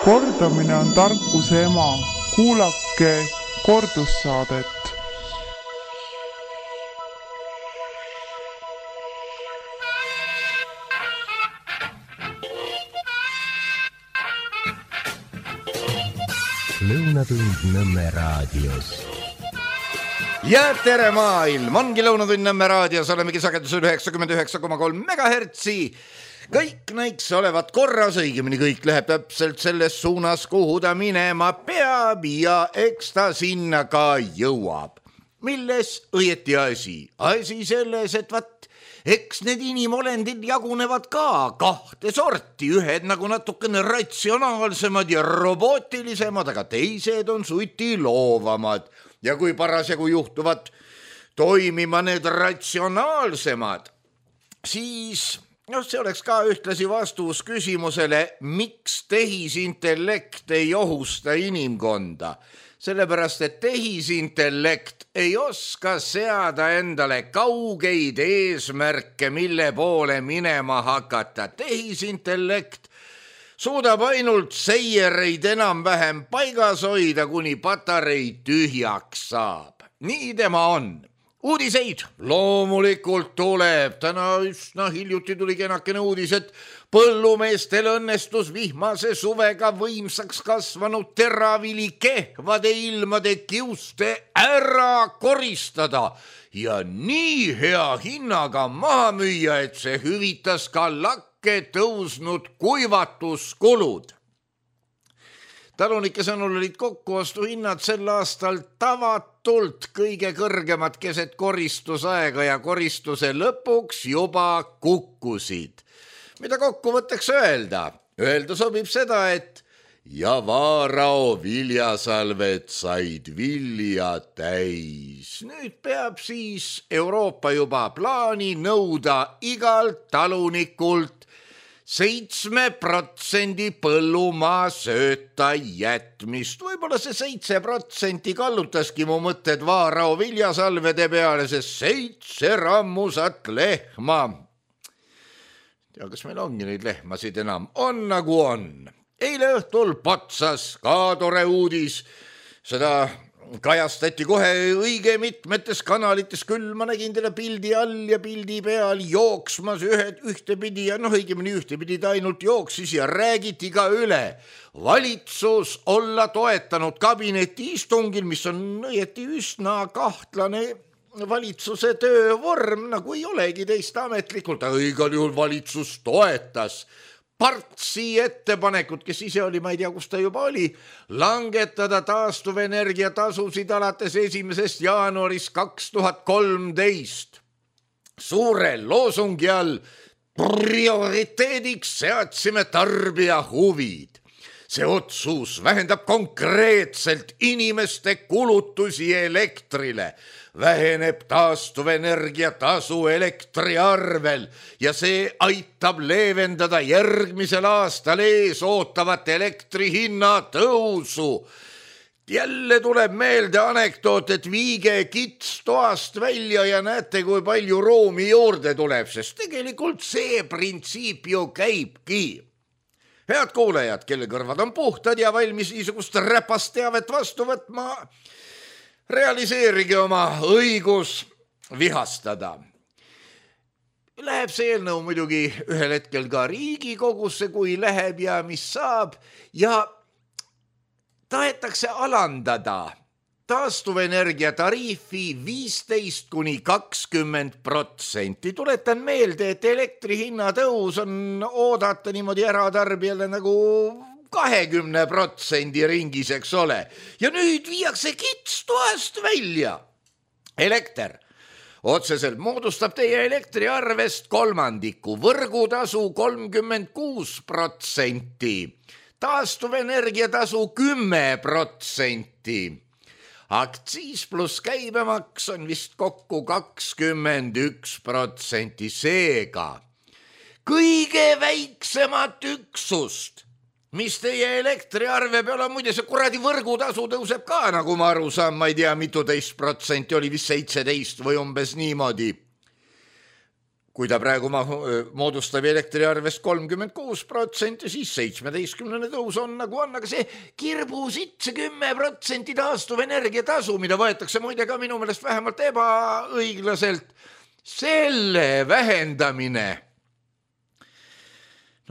Kordamine on tarkuse ema. Kuulake kordussaadet. Lõunatund Nõmme raadios. Ja tere maailm, ongi Lõunatund Nõmme raadios, olemegi sagedusel 99,3 megahertsi. Kõik näiks olevat korras, õigemini kõik läheb täpselt selles suunas, kuhu ta minema peab ja eks ta sinna ka jõuab. Milles õieti asi? Asi selles, et eks need inimolendid jagunevad ka kahte sorti, ühed nagu natukene ratsionaalsemad ja robootilisemad, aga teised on suti loovamad. Ja kui parasjagu juhtuvad toimima need ratsionaalsemad, siis see oleks ka ühtlasi vastus küsimusele, miks tehisintellekt ei ohusta inimkonda. Sellepärast, et tehisintellekt ei oska seada endale kaugeid eesmärke, mille poole minema hakata. Tehisintellekt suudab ainult seiereid enam-vähem paigas hoida, kuni patarei tühjaks saab. Nii tema on. Uudiseid loomulikult tuleb. Täna üsna hiljuti tuli kenakene uudis, et põllumeestel õnnestus vihmase suvega võimsaks kasvanud teravili kehvade ilmade kiuste ära koristada ja nii hea hinnaga maha müüa, et see hüvitas ka tõusnud kuivatuskulud. Talunike sõnul olid kokkuostuhinnad sel aastal tavatult kõige kõrgemad keset koristusaega ja koristuse lõpuks juba kukkusid. Mida kokkuvõtteks öelda? Öelda sobib seda, et ja Vaarao viljasalved said vilja täis. Nüüd peab siis Euroopa juba plaani nõuda igalt talunikult 7% põllumaa sööta jätmist. Võib-olla see 7% kallutaski mu mõtted Vaarao viljasalvede peale, see 7 rammusat lehma. Ja kas meil ongi neid lehmasid enam? On nagu on. Eile õhtul Potsas ka tore uudis. Seda kajastati kohe õige mitmetes kanalites, küll ma nägin teile pildi all ja pildi peal jooksmas ühtepidi ja õigemini ühtepidi ta ainult jooksis ja räägiti ka üle. Valitsus olla toetanud kabineti istungil, mis on õieti üsna kahtlane valitsuse töövorm, nagu ei olegi teist ametlikult, aga igal juhul valitsus toetas Partsi ettepanekut, kes ise oli, ma ei tea, kus ta juba oli, langetada taastuvenergia tasusid alates 1. jaanuarist 2013. Suure loosungi all prioriteediks seadsime tarbija huvid. See otsus vähendab konkreetselt inimeste kulutusi elektrile, väheneb taastuvenergia tasu elektriarvel ja see aitab leevendada järgmisel aastal ees ootavat elektrihinna tõusu. Jälle tuleb meelde anekdoot, et viige kits toast välja ja näete, kui palju ruumi juurde tuleb, sest tegelikult see printsiip ju käibki. Head kuulajad, kelle kõrvad on puhtad ja valmis niisugust räpast teavet vastu võtma, realiseerige oma õigus vihastada. Läheb see eelnõu muidugi ühel hetkel ka Riigikogusse, kui läheb ja mis saab, ja tahetakse alandada taastuvenergia tariifi 15–20%. Tuletan meelde, et elektrihinna tõus on oodata niimoodi eratarbijale nagu 20% ringis, eks ole. Ja nüüd viiakse kits toast välja. Elekter otseselt moodustab teie elektriarvest kolmandiku, võrgutasu 36%, taastuvenergiatasu 10%. Aktsiis pluss käibemaks on vist kokku 21%, seega kõige väiksemat üksust, mis teie elektriarve peal on, muide see kuradi võrgutasu tõuseb ka, nagu ma aru saan, ma ei tea, mitu teist protsenti, oli vist 17 või umbes niimoodi. kui ta praegu moodustab elektriarvest 36%, siis 17. tõus on nagu on, aga see kirbusitt, see 10% taastuvenergia tasu, mida võetakse muide ka minu meelest vähemalt ebaõiglaselt, selle vähendamine,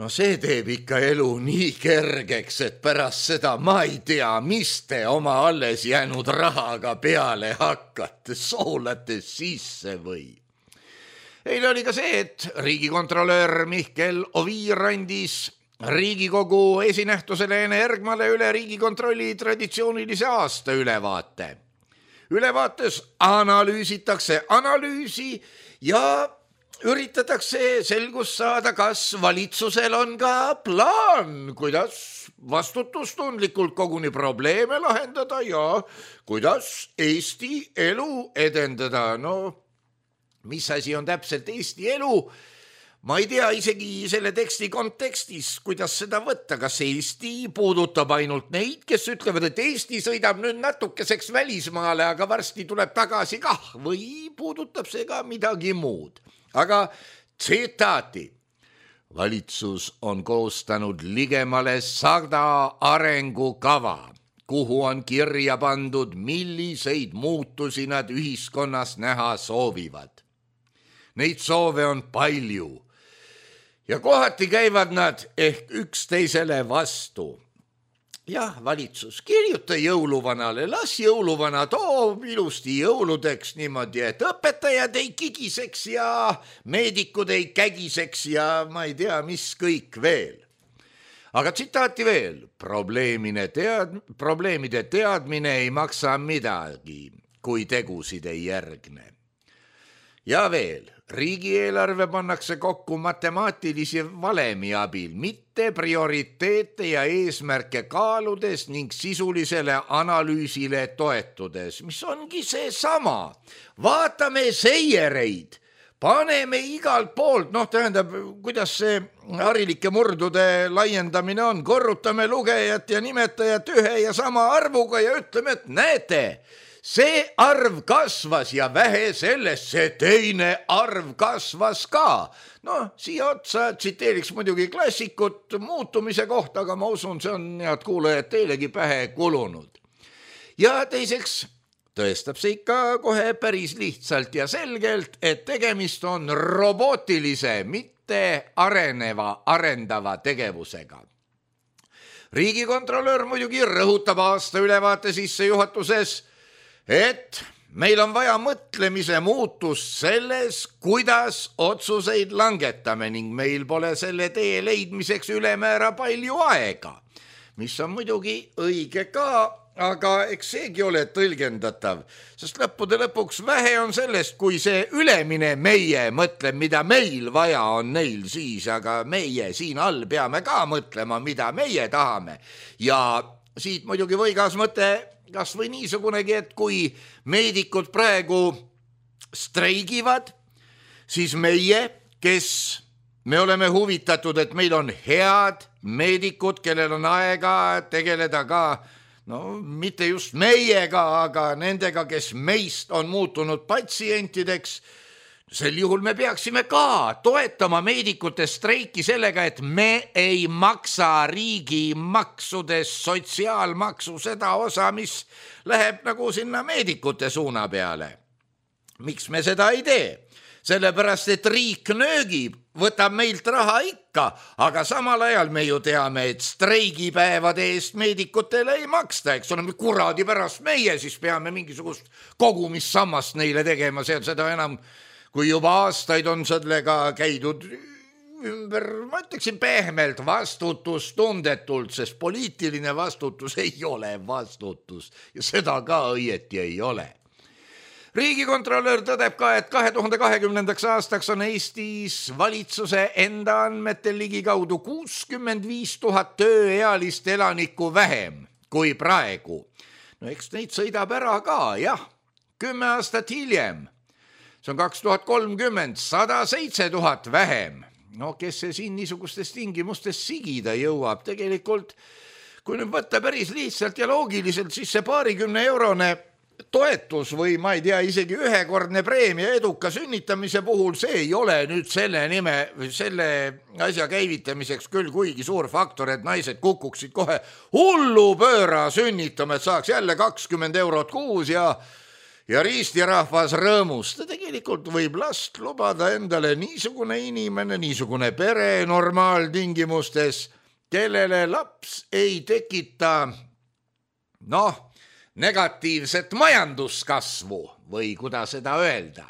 no see teeb ikka elu nii kergeks, et pärast seda ma ei tea, mis te oma alles jäänud rahaga peale hakkate, soolate sisse või? Eile oli ka see, et riigikontrolör Mihkel Oviir andis Riigikogu esinähtusele Ene Ergmale üle Riigikontrolli traditsioonilise aasta ülevaate. Ülevaates analüüsitakse analüüsi ja üritatakse selgust saada, kas valitsusel on ka plaan, kuidas vastutustundlikult koguni probleeme lahendada ja kuidas Eesti elu edendada. No, mis asi on täpselt Eesti elu? Ma ei tea isegi selle teksti kontekstis, kuidas seda võtta, kas Eesti puudutab ainult neid, kes ütlevad, et Eesti sõidab nüüd natukeseks välismaale, aga varsti tuleb tagasi kah, või puudutab see ka midagi muud. Aga tsitaati. Valitsus on koostanud ligemale 100 arengukava, kuhu on kirja pandud, milliseid muutusi nad ühiskonnas näha soovivad. Neid soove on palju ja kohati käivad nad ehk üksteisele vastu. Jah, valitsus, kirjuta jõuluvanale, las jõuluvana toob ilusti jõuludeks niimoodi, et õpetajad ei kigiseks ja meedikud ei kägiseks ja ma ei tea, mis kõik veel. Aga tsitaati veel, probleemide teadmine ei maksa midagi, kui tegusid ei järgne. Ja veel, riigieelarve pannakse kokku matemaatilisi valemi abil, mitte prioriteete ja eesmärke kaaludes ning sisulisele analüüsile toetudes, mis ongi see sama. Vaatame seiereid, paneme igalt poolt, tähendab, kuidas see harilike murdude laiendamine on, korrutame lugejat ja nimetajat ühe ja sama arvuga ja ütleme, et näete, see arv kasvas ja vähe sellest, see teine arv kasvas ka. Siia otsa tsiteeriks muidugi klassikut muutumise kohta, aga ma usun, see on, head kuulajad, teilegi pähe kulunud. Ja teiseks tõestab see ikka kohe päris lihtsalt ja selgelt, et tegemist on robotilise, mitte arendava tegevusega. Riigikontrolör muidugi rõhutab aasta ülevaate sissejuhatuses, et meil on vaja mõtlemise muutust selles, kuidas otsuseid langetame ning meil pole selle tee leidmiseks ülemäära palju aega, mis on muidugi õige ka, aga eks seegi ole tõlgendatav, sest lõppude lõpuks vähe on sellest, kui see ülemine meie mõtleb, mida meil vaja on neil siis, aga meie siin all peame ka mõtlema, mida meie tahame. Ja siit muidugi võigas mõte, kas või niisugunegi, et kui meedikud praegu streigivad, siis meie, kes me oleme huvitatud, et meil on head meedikud, kellel on aega tegeleda ka, mitte just meiega, aga nendega, kes meist on muutunud patsientideks, sel juhul me peaksime ka toetama meedikute streiki sellega, et me ei maksa riigi maksudes sotsiaalmaksu seda osa, mis läheb nagu sinna meedikute suuna peale. Miks me seda ei tee? Sellepärast, et riik nöögib, võtab meilt raha ikka, aga samal ajal me ju teame, et streigipäevade eest meedikutele ei maksta, eks ole, kuradi pärast meie siis peame mingisugust kogumissammast neile tegema, seda enam kui juba aastaid on sellega käidud ümber, ma ütleksin pehmelt, vastutustundetult, sest poliitiline vastutus ei ole vastutus ja seda ka õieti ei ole. Riigikontrolör tõdeb ka, et 2020. aastaks on Eestis valitsuse enda andmetel ligikaudu 65 000 tööealist elanikku vähem kui praegu. Eks neid sõidab ära ka, jah, 10 aastat hiljem. See on 2030, 107 000 vähem. Kes see siin niisugustes tingimustes sigida jõuab? Tegelikult, kui nüüd võtta päris lihtsalt ja loogiliselt, siis see 20 eurone toetus või ma ei tea, isegi ühekordne preemia eduka sünnitamise puhul, see ei ole nüüd selle asja käivitamiseks küll kuigi suur faktor, et naised kukuksid kohe hullu pööra sünnitama, et saaks jälle 20 eurot kuus ja riistirahvas rõõmusta. Tegelikult võib last lubada endale niisugune inimene, niisugune pere normaaltingimustes, kellele laps ei tekita negatiivset majanduskasvu või kuidas seda öelda.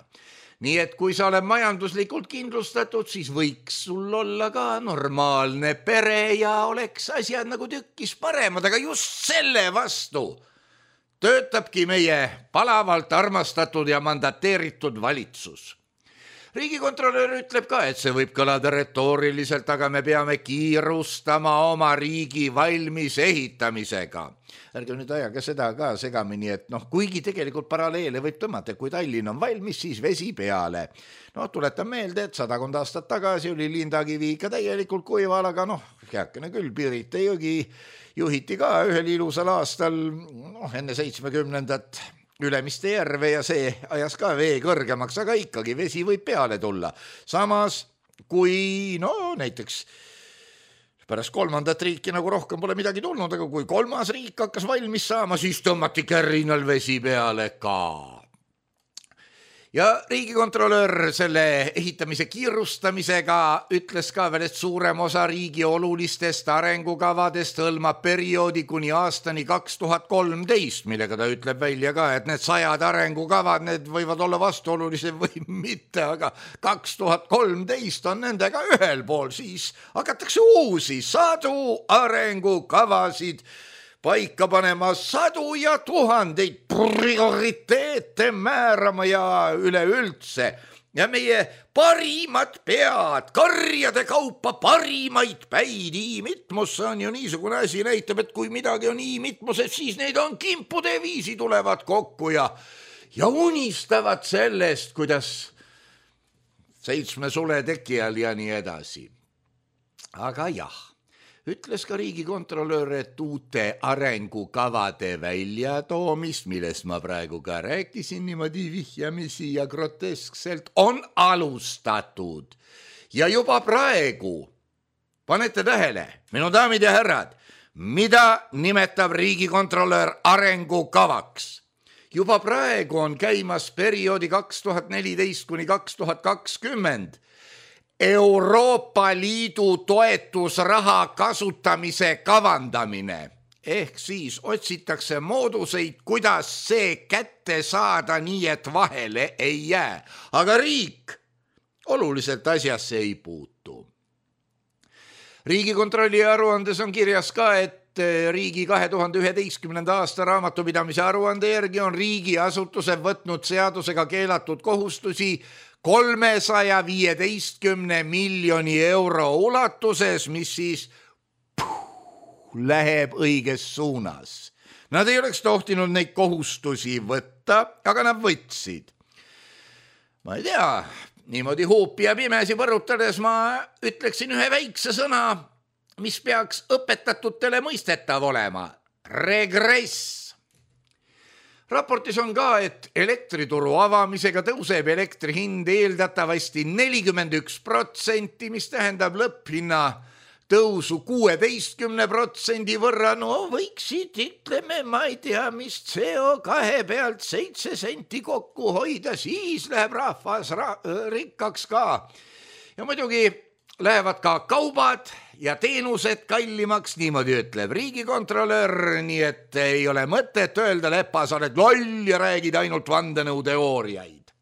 Nii et kui sa oled majanduslikult kindlustatud, siis võiks sul olla ka normaalne pere ja oleks asjad nagu tükkis paremad, aga just selle vastu töötabki meie palavalt armastatud ja mandateeritud valitsus. Riigikontrolör ütleb ka, et see võib kõlada retooriliselt, aga me peame kiirustama oma riigi valmis ehitamisega. Ärge nüüd ajage seda ka segamini, et kuigi tegelikult paralleele võib tõmmata, kui Tallinn on valmis, siis vesi peale. Tuletan meelde, et 100 aastat tagasi oli Lindakivi ikka täielikult kuival, aga heakene küll, Pirita jõgi juhiti ka ühel ilusal aastal enne 70. Ülemiste järve ja see ajas ka vee kõrgemaks, aga ikkagi vesi võib peale tulla. Samas, kui näiteks pärast 3. riiki nagu rohkem pole midagi tulnud, aga kui 3. riik hakkas valmis saama, siis tõmmati kärrinal vesi peale ka. Ja riigikontrolör selle ehitamise kiirustamisega ütles ka veel, et suurem osa riigi olulistest arengukavadest hõlmab perioodi kuni aastani 2013, millega ta ütleb välja ka, et need 100 arengukavad, need võivad olla vastuolulised või mitte, aga 2013 on nendega ühel pool, siis hakatakse uusi 100 arengukavasid paika panema, 100 ja 1000 prioriteete määrama ja üleüldse. Ja meie parimad pead, karjade kaupa parimaid päid imitmus on ju niisugune asi, näitab, et kui midagi on imitmused, siis neid on kimpude viisi tulevad kokku ja unistavad sellest, kuidas 7 sule teki all ja nii edasi. Aga jah, ütles ka riigikontrolör, et uute arengukavade väljatoomist, millest ma praegu ka rääkisin niimoodi vihjamisi ja groteskselt, on alustatud. Ja juba praegu, panete tähele, minu daamid ja härrad, mida nimetab riigikontrolör arengukavaks? Juba praegu on käimas perioodi 2014 kuni 2020 Euroopa Liidu toetusraha kasutamise kavandamine. Ehk siis otsitakse mooduseid, kuidas see kätte saada nii, et vahele ei jää. Aga riik oluliselt asjasse ei puutu. Riigikontrolli aruandes on kirjas ka, et riigi 2011. aasta raamatupidamise aruande järgi on riigiasutused võtnud seadusega keelatud kohustusi 315 miljoni euro ulatuses, mis siis läheb õiges suunas. Nad ei oleks tohtinud neid kohustusi võtta, aga nad võtsid. Ma ei tea, niimoodi huupi ja pimesi võrutades ma ütleksin ühe väikse sõna, mis peaks õpetatutele mõistetav olema. Regress. Raportis on ka, et elektrituru avamisega tõuseb elektri hind eeldatavasti 41%, mis tähendab lõpphinna tõusu 16% võrra. Võiksid, ütleme, ma ei tea, mis CO2 pealt 7 senti kokku hoida, siis läheb rahvas rikkaks ka. Ja muidugi lähevad ka kaubad ja teenused kallimaks, niimoodi ütleb riigikontrolör, nii et ei ole mõtet öelda, Lepa, sa oled loll ja räägid ainult vandenõuteooriaid.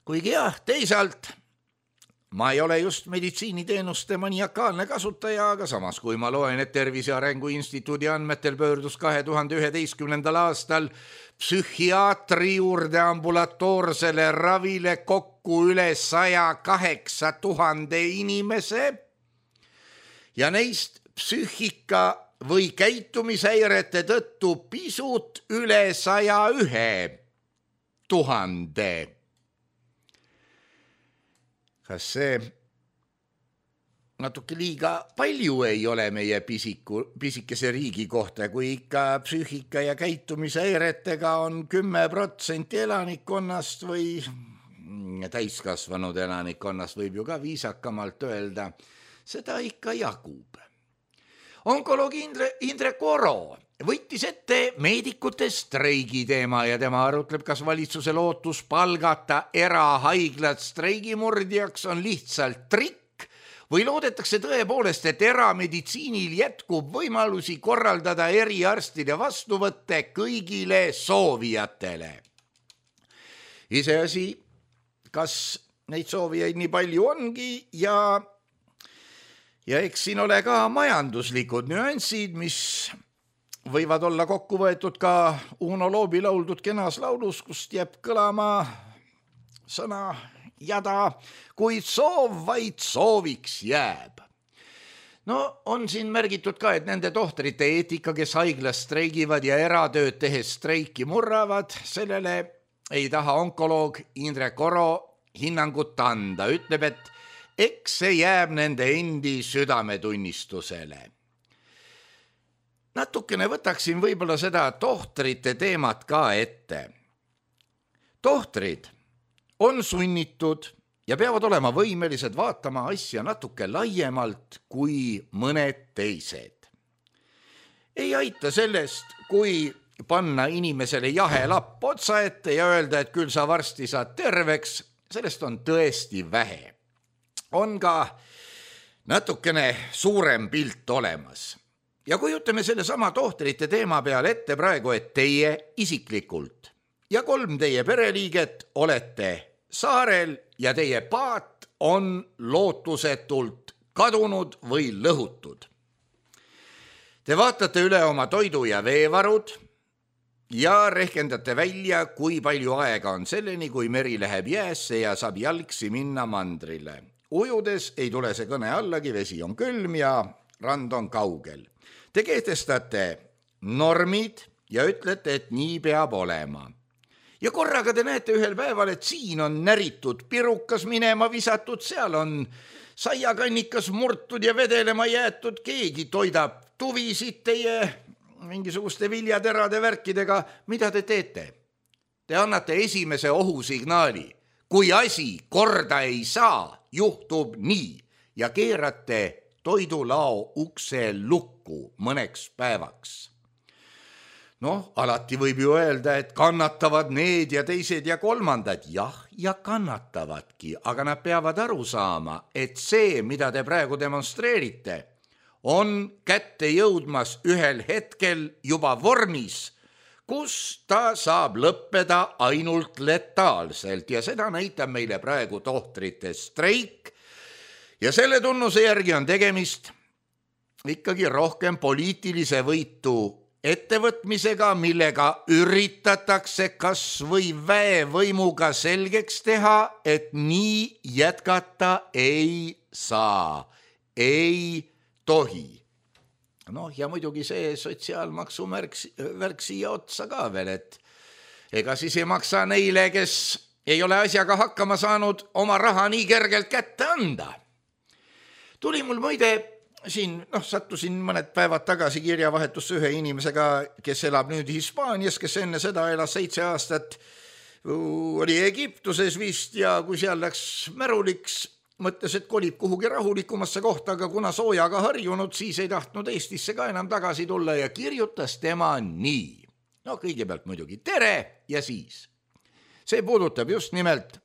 Kuigi jah, teisalt ma ei ole just meditsiiniteenuste maniakaalne kasutaja, aga samas kui ma loen, et Tervise Arengu Instituudi andmetel pöördus 2011. aastal psühhiaatri juurde ambulatoorsele ravile kokku üle 108 000 inimese ja neist psüühika või käitumishäirete tõttu pisut üle 101 000. Kas see natuke liiga palju ei ole meie pisikese riigi kohta, kui ikka psüühika ja käitumishäiretega on 10% elanikkonnast või täiskasvanud elanikkonnast, võib ju ka viisakamalt öelda, seda ikka jagub. Onkoloog Indrek Oro võttis ette meedikute streigi teema ja tema arutleb, kas valitsuse lootus palgata erahaiglad streigimurdjaks on lihtsalt trikk või loodetakse tõepoolest, et erameditsiinil jätkub võimalusi korraldada eriarstide vastuvõtte kõigile soovijatele. Iseasi, kas neid soovijaid nii palju ongi ja eks siin ole ka majanduslikud nüansid, mis võivad olla kokku võetud ka Uno Loobi lauldud kenas laulus, kust jääb kõlama sõna jada, kuid soov vaid sooviks jääb. No on siin märgitud ka, et nende tohtrite eetika, kes haiglas streigivad ja eratööd tehes streiki murravad, sellele ei taha onkoloog Indrek Oro hinnangut anda. Ütleb, et eks see jääb nende endi südametunnistusele. Natukene võtaksin võib-olla seda tohtrite teemat ka ette. Tohtrid on sunnitud ja peavad olema võimelised vaatama asja natuke laiemalt kui mõned teised. Ei aita sellest, kui panna inimesele jahe lapp otsa ette ja öelda, et küll sa varsti saad terveks, sellest on tõesti vähe. On ka natukene suurem pilt olemas. Ja kujutame selle sama tohtrite teema peale ette praegu, et teie isiklikult ja 3 teie pereliiget olete saarel ja teie paat on lootusetult kadunud või lõhutud. Te vaatate üle oma toidu ja veevarud ja rehkendate välja, kui palju aega on selleni, kui meri läheb jäässe ja saab jalgsi minna mandrile. Ujudes ei tule see kõne allagi, vesi on külm ja rand on kaugel. Te kehtestate normid ja ütlete, et nii peab olema. Ja korraga te näete ühel päeval, et siin on näritud pirukas minema visatud, seal on saiakannikas murtud ja vedelema jäetud, keegi toidab tuvisid teie mingisuguste viljaterade värkidega. Mida te teete? Te annate esimese ohusignaali. Kui asi korda ei saa, juhtub nii ja keerate toidulao ukse lukku mõneks päevaks. Alati võib ju öelda, et kannatavad need ja teised ja kolmandad. Jah, ja kannatavadki, aga nad peavad aru saama, et see, mida te praegu demonstreerite, on kätte jõudmas ühel hetkel juba vormis, kus ta saab lõppeda ainult letaalselt ja seda näitab meile praegu tohtrite streik. Ja selle tunnuse järgi on tegemist ikkagi rohkem poliitilise võitu ettevõtmisega, millega üritatakse kas või väevõimuga selgeks teha, et nii jätkata ei saa, ei tohi. Ja muidugi see sotsiaalmaksu värk siia otsa ka veel, et ega siis ei maksa neile, kes ei ole asjaga hakkama saanud, oma raha nii kergelt kätte anda. Tuli mul muide siin, sattusin mõned päevad tagasi kirjavahetusse ühe inimesega, kes elab nüüd Hispaanias, kes enne seda elas 7 aastat, oli Egiptuses vist ja kui seal läks märuliks, mõtles, et kolib kuhugi rahulikumasse kohta, aga kuna soojaga harjunud, siis ei tahtnud Eestisse ka enam tagasi tulla ja kirjutas tema nii. Kõigepealt muidugi tere ja siis. See puudutab just nimelt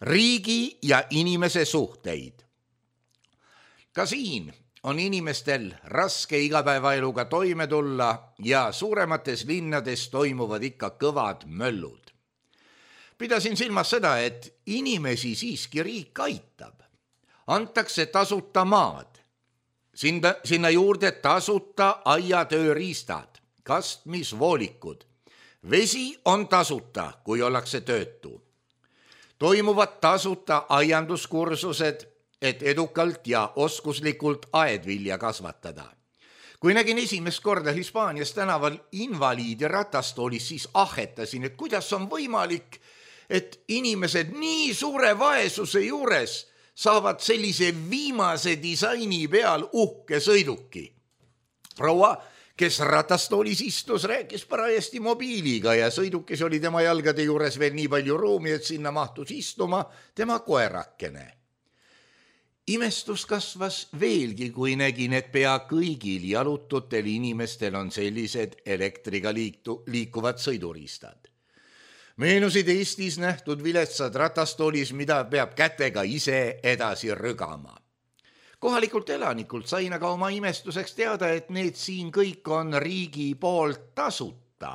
riigi ja inimese suhteid. Ka siin on inimestel raske igapäevaeluga toime tulla ja suuremates linnades toimuvad ikka kõvad möllud. Pidasin silmas seda, et inimesi siiski riik aitab. Antakse tasuta maad. Sinna juurde tasuta aiatööriistad, kastmisvoolikud. Vesi on tasuta, kui ollakse töötu. Toimuvad tasuta aianduskursused, et edukalt ja oskuslikult aedvilja kasvatada. Kui nägin esimest korda Hispaanias tänaval invaliidi ratastoolis, siis ahetasin, et kuidas on võimalik, et inimesed nii suure vaesuse juures saavad sellise viimase disaini peal uhke sõiduki. Proua, kes ratastoolis istus, rääkis parajasti mobiiliga ja sõidukis oli tema jalgade juures veel nii palju ruumi, et sinna mahtus istuma tema koerakene. Imestus kasvas veelgi, kui nägin, et pea kõigil jalututel inimestel on sellised elektriga liikuvad sõiduriistad. Meenusid Eestis nähtud viletsad ratastoolis, mida peab kätega ise edasi rügama. Kohalikult elanikult sain aga oma imestuseks teada, et need siin kõik on riigi poolt tasuta.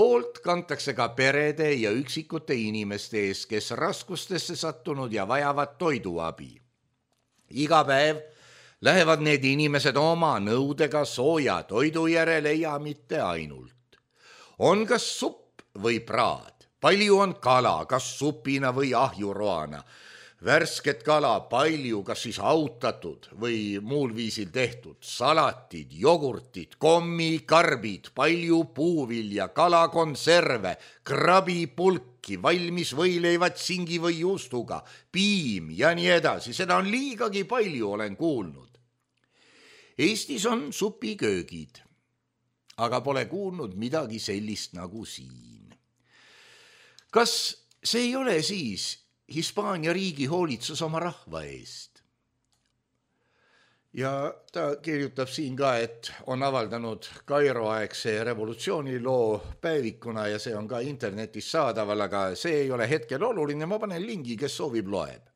Hoolt kantakse ka perede ja üksikute inimeste ees, kes raskustesse sattunud ja vajavad toiduabi. Iga päev lähevad need inimesed oma nõudega sooja toidu järele ja mitte ainult. On kas supp või praad, palju on kala, kas supina või ahjuroana, värsket kala palju, kas siis autatud või muul viisil tehtud, salatid, jogurtid, kommi, karbid, palju puuvilja, kalakonserve, krabipulki, valmis võileivad singi või juustuga, piim ja nii edasi, seda on liigagi palju, olen kuulnud. Eestis on supiköögid, aga pole kuulnud midagi sellist nagu siin. Kas see ei ole siis Hispaania riigi hoolitsus oma rahva eest? Ja ta kirjutab siin ka, et on avaldanud Kairo-aegse revolutsiooniloo päevikuna ja see on ka internetis saadaval, aga see ei ole hetkel oluline, ma panen lingi, kes soovib, loeb.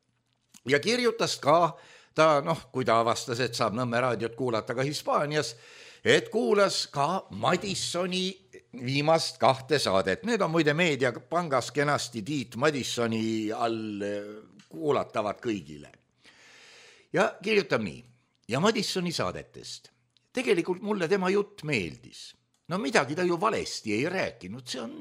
Ja kirjutas ka ta, kui ta avastas, et saab Nõmme raadiot kuulata ka Hispaanias, et kuulas ka Madissoni viimast 2 saadet. Need on muide Meediapangas kenasti Tiit Madissoni all kuulatavad kõigile. Ja kirjutab nii. Ja Madissoni saadetest. Tegelikult mulle tema jutt meeldis. No midagi ta ju valesti ei rääkinud. See on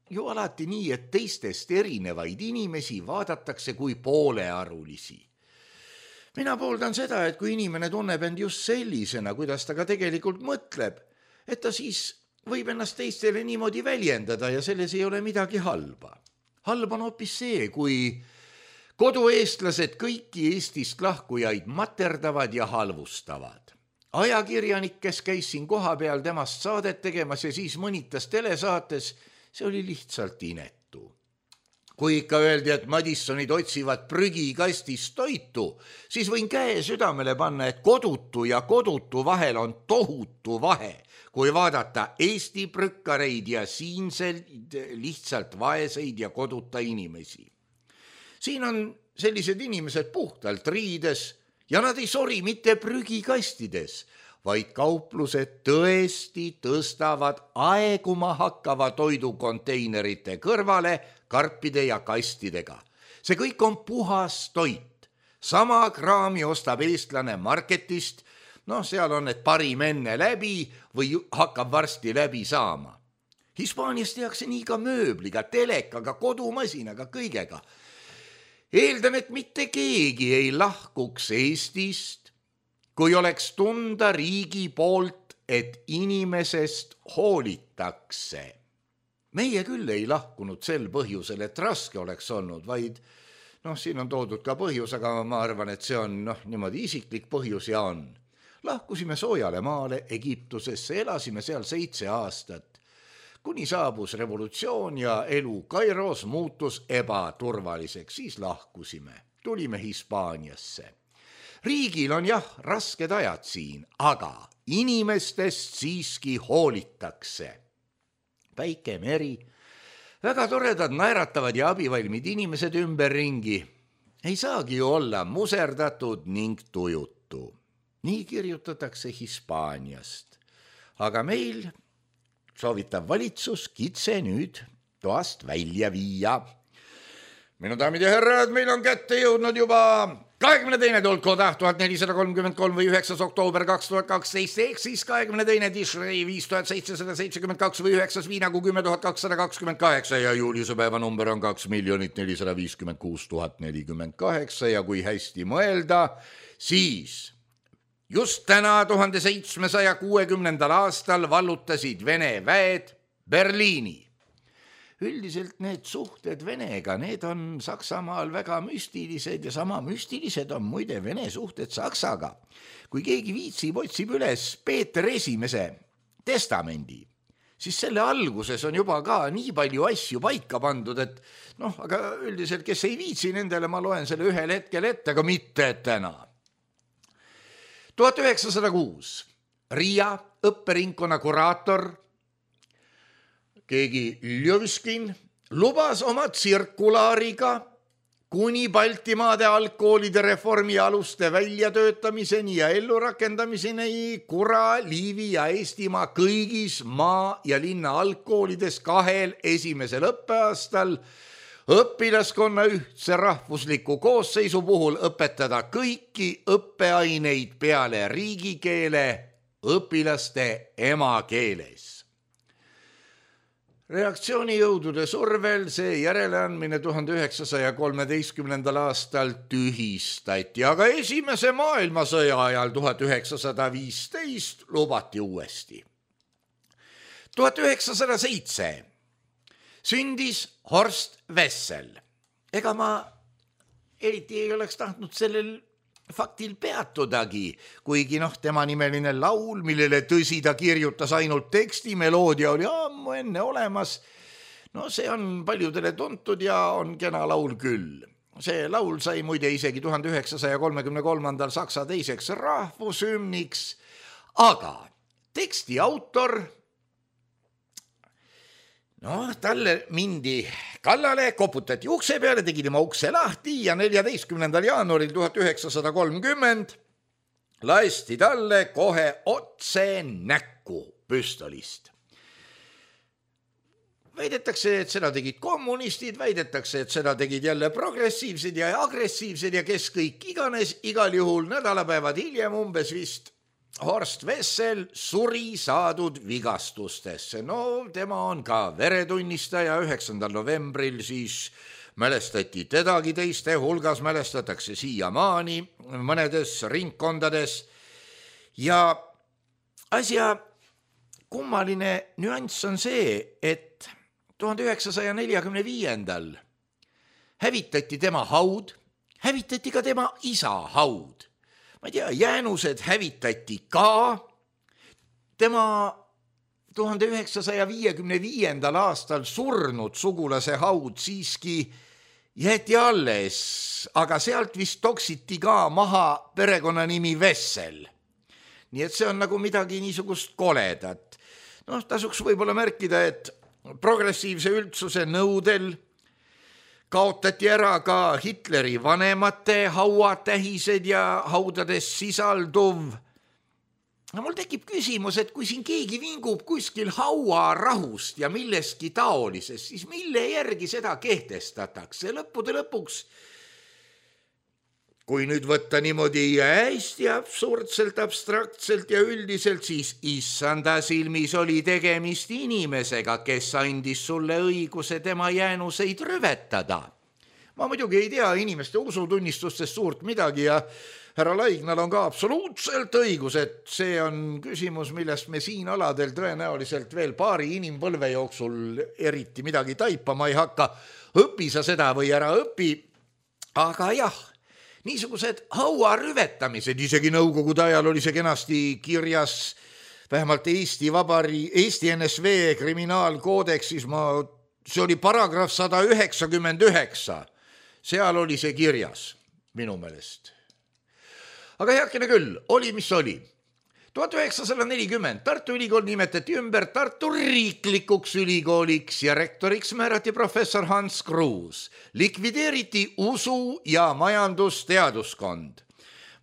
ju alati nii, et teistest erinevaid inimesi vaadatakse kui poolearulisi. Mina pooldan seda, et kui inimene tunneb end just sellisena, kuidas ta ka tegelikult mõtleb, et ta siis võib ennast teistele niimoodi väljendada ja selles ei ole midagi halba. Halb on hoopis see, kui kodueestlased kõiki Eestist lahkujaid materdavad ja halvustavad. Ajakirjanik, kes käis siin koha peal temast saadet tegemas ja siis mõnitas telesaates, see oli lihtsalt inetu. Kui ikka öeldi, et Madissonid otsivad prügikastist toitu, siis võin käe südamele panna, et kodutu ja kodutu vahel on tohutu vahe, kui vaadata Eesti prükkareid ja siinseid lihtsalt vaeseid ja koduta inimesi. Siin on sellised inimesed puhtalt riides ja nad ei sori mitte prügikastides, vaid kauplused tõesti tõstavad aeguma hakkava toidukonteinerite kõrvale karpide ja kastidega. See kõik on puhas toit. Sama kraami ostab eestlane marketist, seal on need parim enne läbi või hakkab varsti läbi saama. Hispaanias tehakse nii ka mööbliga, telekaga, kodumasinaga, kõigega. Eeldan, et mitte keegi ei lahkuks Eestist, kui oleks tunda riigi poolt, et inimesest hoolitakse. Meie küll ei lahkunud sel põhjusel, et raske oleks olnud, vaid siin on toodud ka põhjus, aga ma arvan, et see on niimoodi isiklik põhjus ja on. Lahkusime soojale maale Egiptusesse, elasime seal 7 aastat. Kuni saabus revolutsioon ja elu Kairos muutus ebaturvaliseks, siis lahkusime. Tulime Hispaaniasse. Riigil on rasked ajad siin, aga inimestest siiski hoolitakse. Päike, meri, väga toredad, naeratavad ja abivalmid inimesed ümberringi. Ei saagi ju olla muserdatud ning tujutu. Nii kirjutatakse Hispaaniast. Aga meil soovitab valitsus kitse nüüd toast välja viia. Minu daamid ja härrad, meil on kätte jõudnud juba 22. tolkoda 1433 või 9. oktoober 2012 ehk siis 22. Tishrei 5772 või 9. viinagu 10228 ja Juliuse päeva number on 2 456 048 ja kui hästi mõelda, siis just täna 1760. aastal vallutasid Vene väed Berliini. üldiselt need suhted Venega, need on Saksamaal väga müstilised ja sama müstilised on muide Vene suhted Saksaga. Kui keegi viitsib, otsib üles Peeter Esimese testamendi, siis selle alguses on juba ka nii palju asju paika pandud, et aga üldiselt, kes ei viitsi nendele, ma loen selle ühel hetkel ette, aga mitte täna. 1906 Riia õpperingkonna kuraator keegi Ljõvskin lubas oma tsirkulaariga kuni Baltimaade algkoolide reformi aluste väljatöötamiseni ja ellurakendamiseni Kura, Liivi ja Eestimaa kõigis maa- ja linna algkoolides 2 esimesel õppeaastal õpilaskonna ühtse rahvusliku koosseisu puhul õpetada kõiki õppeaineid peale riigikeele õpilaste emakeeles. Reaktsioonijõudude survel see järeleandmine 1913. aastal tühistati, aga esimese maailmasõja ajal 1915 lubati uuesti. 1907 sündis Horst Wessel. Ega ma eriti ei oleks tahtnud sellel faktil peatudagi, kuigi tema nimeline laul, millele tõsi ta kirjutas ainult teksti, meloodia oli ammu enne olemas. See on paljudele tuntud ja on kena laul küll. See laul sai muide isegi 1933. Saksa teiseks rahvushümniks, aga teksti autor talle mindi kallale, koputati ukse peale, tegi tema ukse lahti ja 14. jaanuaril 1930 lasti talle kohe otse näkku püstolist. Väidetakse, et seda tegid kommunistid, väidetakse, et seda tegid jälle progressiivsed ja agressiivsed ja kes kõik iganes, igal juhul nädalapäevad hiljem umbes vist Horst Wessel suri saadud vigastustesse. Tema on ka veretunnistaja, 9. novembril siis mälestati tedagi, teiste hulgas mälestatakse siiamaani mõnedes ringkondades. Ja asja kummaline nüanss on see, et 1945. hävitati tema haud, hävitati ka tema isa haud. Ma ei tea, jäänused hävitati ka. Tema 1955. aastal surnud sugulase haud siiski jäeti alles, aga sealt vist toksiti ka maha perekonnanimi Wessel. Nii et see on nagu midagi niisugust koledat. Tasuks võib-olla märkida, et progressiivse üldsuse nõudel kaotati ära ka Hitleri vanemate hauatähised ja haudades sisalduv. Mul tekib küsimus, et kui siin keegi vingub kuskil hauarahust ja milleski taolises, siis mille järgi seda kehtestatakse? Lõppude lõpuks, kui nüüd võtta niimoodi hästi absurdselt, abstraktselt ja üldiselt, siis issanda silmis oli tegemist inimesega, kes andis sulle õiguse tema jäänuseid rüvetada. Ma muidugi ei tea inimeste usutunnistustest suurt midagi ja härra Laignal on ka absoluutselt õigus, et see on küsimus, millest me siin aladel tõenäoliselt veel paari inimpõlve jooksul eriti midagi taipama ei hakka. Õpi sa seda või ära õpi, aga jah, niisugused hauarüvetamised, isegi nõukogude ajal oli see kenasti kirjas, vähemalt Eesti NSV kriminaalkoodeksis, see oli paragrahv 199, seal oli see kirjas minu meelest. Aga heakene küll, oli mis oli. 1940 Tartu Ülikool nimetati ümber Tartu riiklikuks ülikooliks ja rektoriks määrati professor Hans Kruus. Likvideeriti usu- ja majandusteaduskond.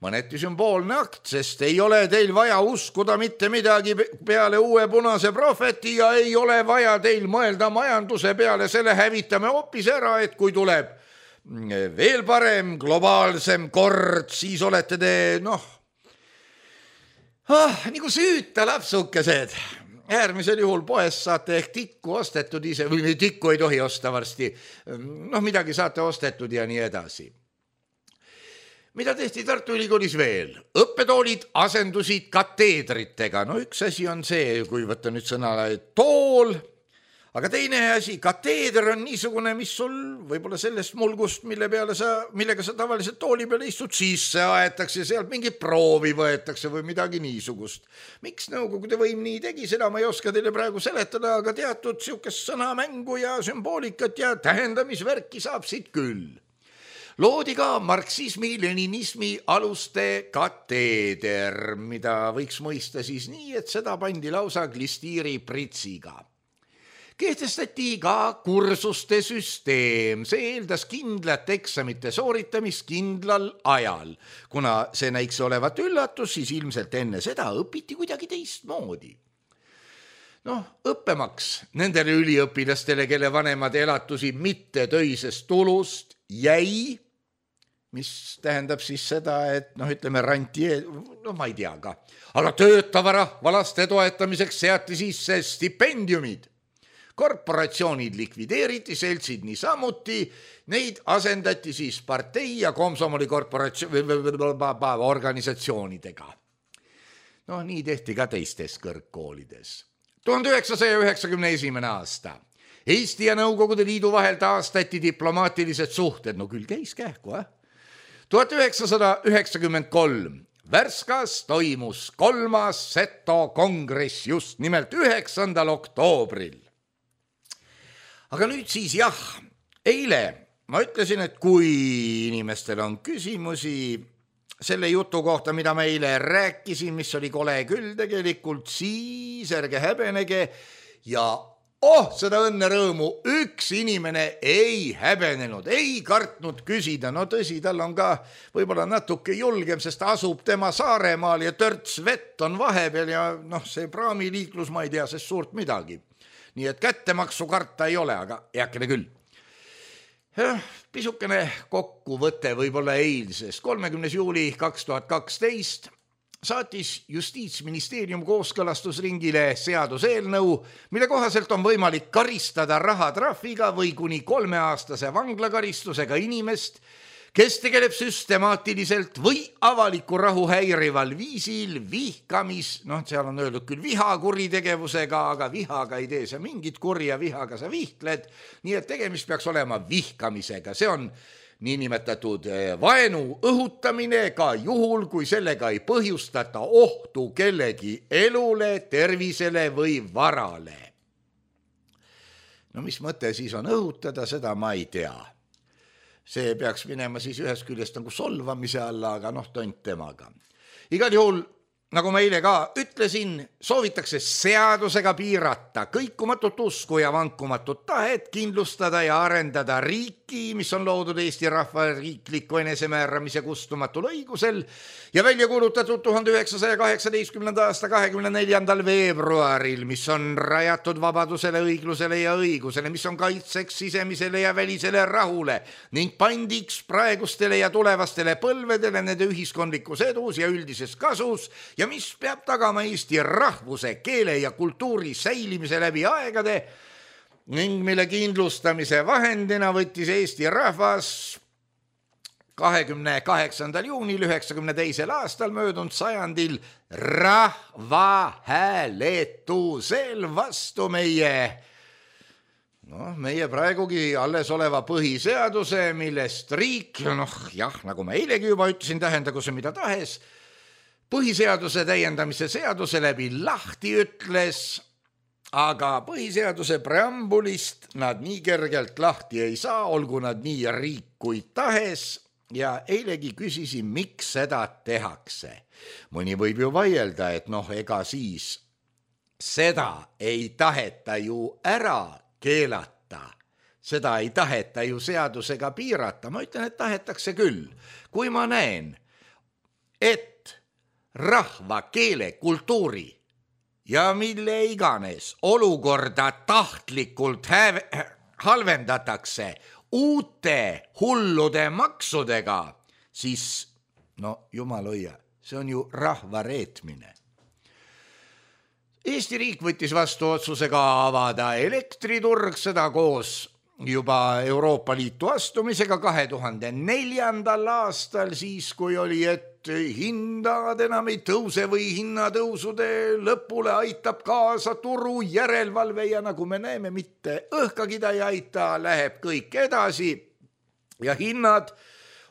Mõneti sümboolne akt, sest ei ole teil vaja uskuda mitte midagi peale uue punase prohveti ja ei ole vaja teil mõelda majanduse peale, selle hävitame hoopis ära, et kui tuleb veel parem, globaalsem kord, siis olete te, nagu süüta lapsukesed. Äärmisel juhul poes saate ehk tikku ostetud ise, või tikku ei tohi osta varsti, midagi saate ostetud ja nii edasi. Mida tehti Tartu Ülikoolis veel? Õppetoolid asendusid kateedritega. Üks asi on see, kui võtta nüüd sõna tool, aga teine asi, kateeder on niisugune, mis sul võib-olla sellest mulgust, millega sa tavaliselt tooli peale istud, sisse aetakse, sealt mingi proovi võetakse või midagi niisugust. Miks Nõukogude võim nii tegi, seda ma ei oska teile praegu seletada, aga teatud siukest sõnamängu ja sümboolikat ja tähendamisvärki saab siit küll. Loodi ka marksismi-leninismi aluste kateeder, mida võiks mõista siis nii, et seda pandi lausa glistiiri pritsiga. Kehtestati ka kursuste süsteem, see eeldas kindlat eksamite sooritamist kindlal ajal. Kuna see näiks olevat üllatus, siis ilmselt enne seda õpiti kuidagi teistmoodi. Õppemaks nendele üliõpilastele, kelle vanemad elatusi mitte töisest tulust jäi, mis tähendab siis seda, et ütleme rantie, ma ei tea ka, aga töötava rahva laste toetamiseks seati sisse stipendiumid. Korporatsioonid likvideeriti, seltsid niisamuti, neid asendati siis partei ja komsomoli organisatsioonidega. Nii tehti ka teistes kõrgkoolides. 1991. aasta. Eesti ja Nõukogude Liidu vahel taastati diplomaatilised suhted, küll käis kähku, 1993. Värskas toimus 3. Seto kongress just nimelt 9. oktoobril. Aga nüüd siis eile ma ütlesin, et kui inimestel on küsimusi selle jutu kohta, mida ma eile rääkisin, mis oli kole küll tegelikult, siis ärge häbenege ja seda õnne rõõmu üks inimene ei häbenenud, ei kartnud küsida. Tõsi, tal on ka võib-olla natuke julgem, sest asub tema Saaremaal ja törts vett on vahepeal ja see praamiliiklus, ma ei tea sest suurt midagi. Nii et kättemaksu karta ei ole, aga heakene küll. Pisukene kokkuvõte võib-olla eilsest. 30. juuli 2012 saatis Justiitsministeerium kooskõlastusringile seaduseelnõu, mille kohaselt on võimalik karistada rahatrahviga või kuni 3-aastase vanglakaristusega inimest, kes tegeleb süstemaatiliselt või avaliku rahu häirival viisil seal on öeldud küll vihakuritegevusega, aga vihaga ei tee sa mingit kurja, vihaga sa vihtled, nii et tegemist peaks olema vihkamisega. See on niinimetatud vaenu õhutamine ka juhul, kui sellega ei põhjustata ohtu kellegi elule, tervisele või varale. Mis mõte siis on õhutada, seda ma ei tea. See peaks minema siis ühest küljest nagu solvamise alla, aga tont temaga. Igal juhul, nagu ma eile ka ütlesin, soovitakse seadusega piirata kõikumatut usku ja vankumatut tahet kindlustada ja arendada riiki, mis on loodud Eesti rahva riikliku enesemääramise kustumatul õigusel ja välja kuulutatud 1918. aasta 24. veebruaril, mis on rajatud vabadusele, õiglusele ja õigusele, mis on kaitseks sisemisele ja välisele rahule ning pandiks praegustele ja tulevastele põlvedele nende ühiskondlikus edus ja üldises kasus ja mis peab tagama Eesti rahvuse, keele ja kultuuri säilimise läbi aegade ning mille kindlustamise vahendina võttis Eesti rahvas 28. juunil 92. aastal möödunud sajandil rahvahääletusel vastu meie praegugi alles oleva põhiseaduse, millest riik, nagu ma eilegi juba ütlesin, tähendagu see mida tahes, põhiseaduse täiendamise seaduse läbi lahti ütles, aga põhiseaduse preambulist nad nii kergelt lahti ei saa, olgu nad nii riik kui tahes. Ja eilegi küsisin, miks seda tehakse. Mõni võib ju vaielda, et ega siis seda ei taheta ju ära keelata. Seda ei taheta ju seadusega piirata. Ma ütlen, et tahetakse küll. Kui ma näen, et rahva, keele, kultuuri ja mille iganes olukorda tahtlikult halvendatakse uute hullude maksudega, siis jumal hoia, see on ju rahva reetmine. Eesti riik võttis vastu otsusega avada elektriturg, seda koos juba Euroopa Liitu astumisega 2004. aastal, siis kui oli, et et hinnad enam ei tõuse või hinnatõusude lõpule aitab kaasa turu järelevalve ja nagu me näeme, mitte õhkagi ta ei aita, läheb kõik edasi ja hinnad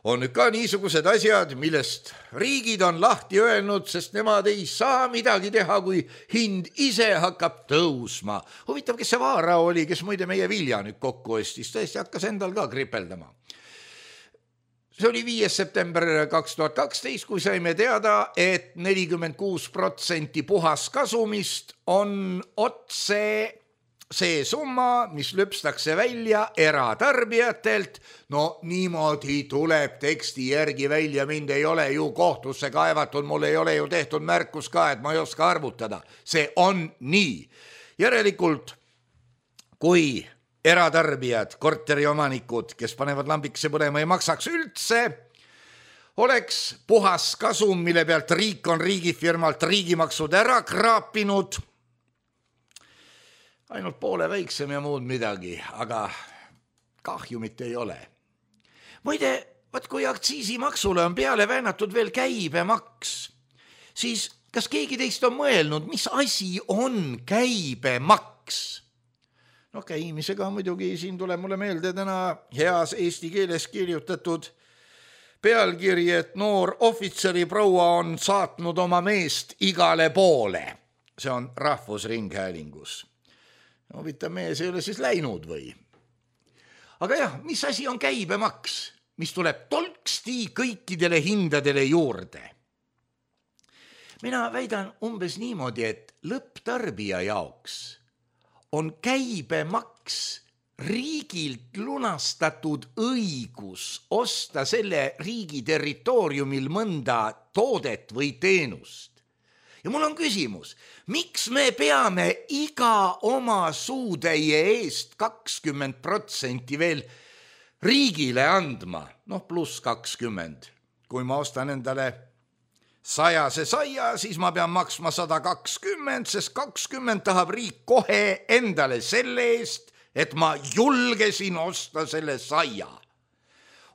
on ka niisugused asjad, millest riigid on lahti öelnud, sest nemad ei saa midagi teha, kui hind ise hakkab tõusma. Huvitav, kes see Vaara oli, kes muide meie vilja nüüd kokku ostis, tõesti hakkas endal ka kripeldama. See oli 5. september 2012, kui saime teada, et 46% puhaskasumist on otse see summa, mis lüpstakse välja eratarbijatelt. No niimoodi tuleb teksti järgi välja, mind ei ole ju kohtusse kaevatud, mul ei ole ju tehtud märkus ka, et ma ei oska arvutada. See on nii. Järelikult, kui eratarbijad, korteriomanikud, kes panevad lambikese põlema, ei maksaks üldse, oleks puhas kasum, mille pealt riik on riigifirmalt riigimaksud ära kraapinud, ainult poole väiksem ja muud midagi, aga kahjumit ei ole. Muide, kui aktsiisimaksule on peale väänatud veel käibemaks, siis kas keegi teist on mõelnud, mis asi on käibemaks? No käimisega muidugi siin tuleb mulle meelde täna heas eesti keeles kirjutatud pealkiri, et noor ohvitseri proua on saatnud oma meest igale poole. See on Rahvusringhäälingus. Huvitav, mees ei ole siis läinud või? Aga jah, mis asi on käibemaks, mis tuleb tolksti kõikidele hindadele juurde? Mina väidan umbes niimoodi, et lõpptarbija jaoks on käibemaks riigilt lunastatud õigus osta selle riigi territooriumil mõnda toodet või teenust. Ja mul on küsimus, miks me peame iga oma suutäie eest 20% veel riigile andma? Pluss 20. Kui ma ostan endale 100 saia, siis ma pean maksma 120, sest 20 tahab riik kohe endale selle eest, et ma julgesin osta selle saia.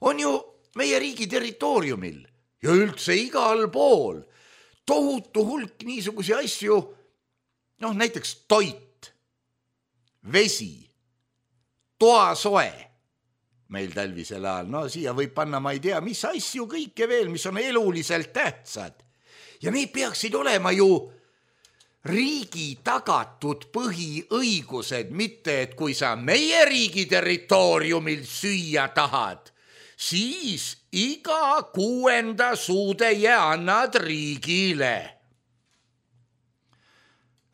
On ju meie riigi territooriumil ja üldse igal pool tohutu hulk niisugusi asju, näiteks toit, vesi, toasoe meil talvisel ajal, siia võib panna, ma ei tea, mis asju kõike veel, mis on eluliselt tähtsad. Ja need peaksid olema ju riigi tagatud põhiõigused, mitte et kui sa meie riigi territooriumil süüa tahad, siis iga 6. suutäie annad riigile.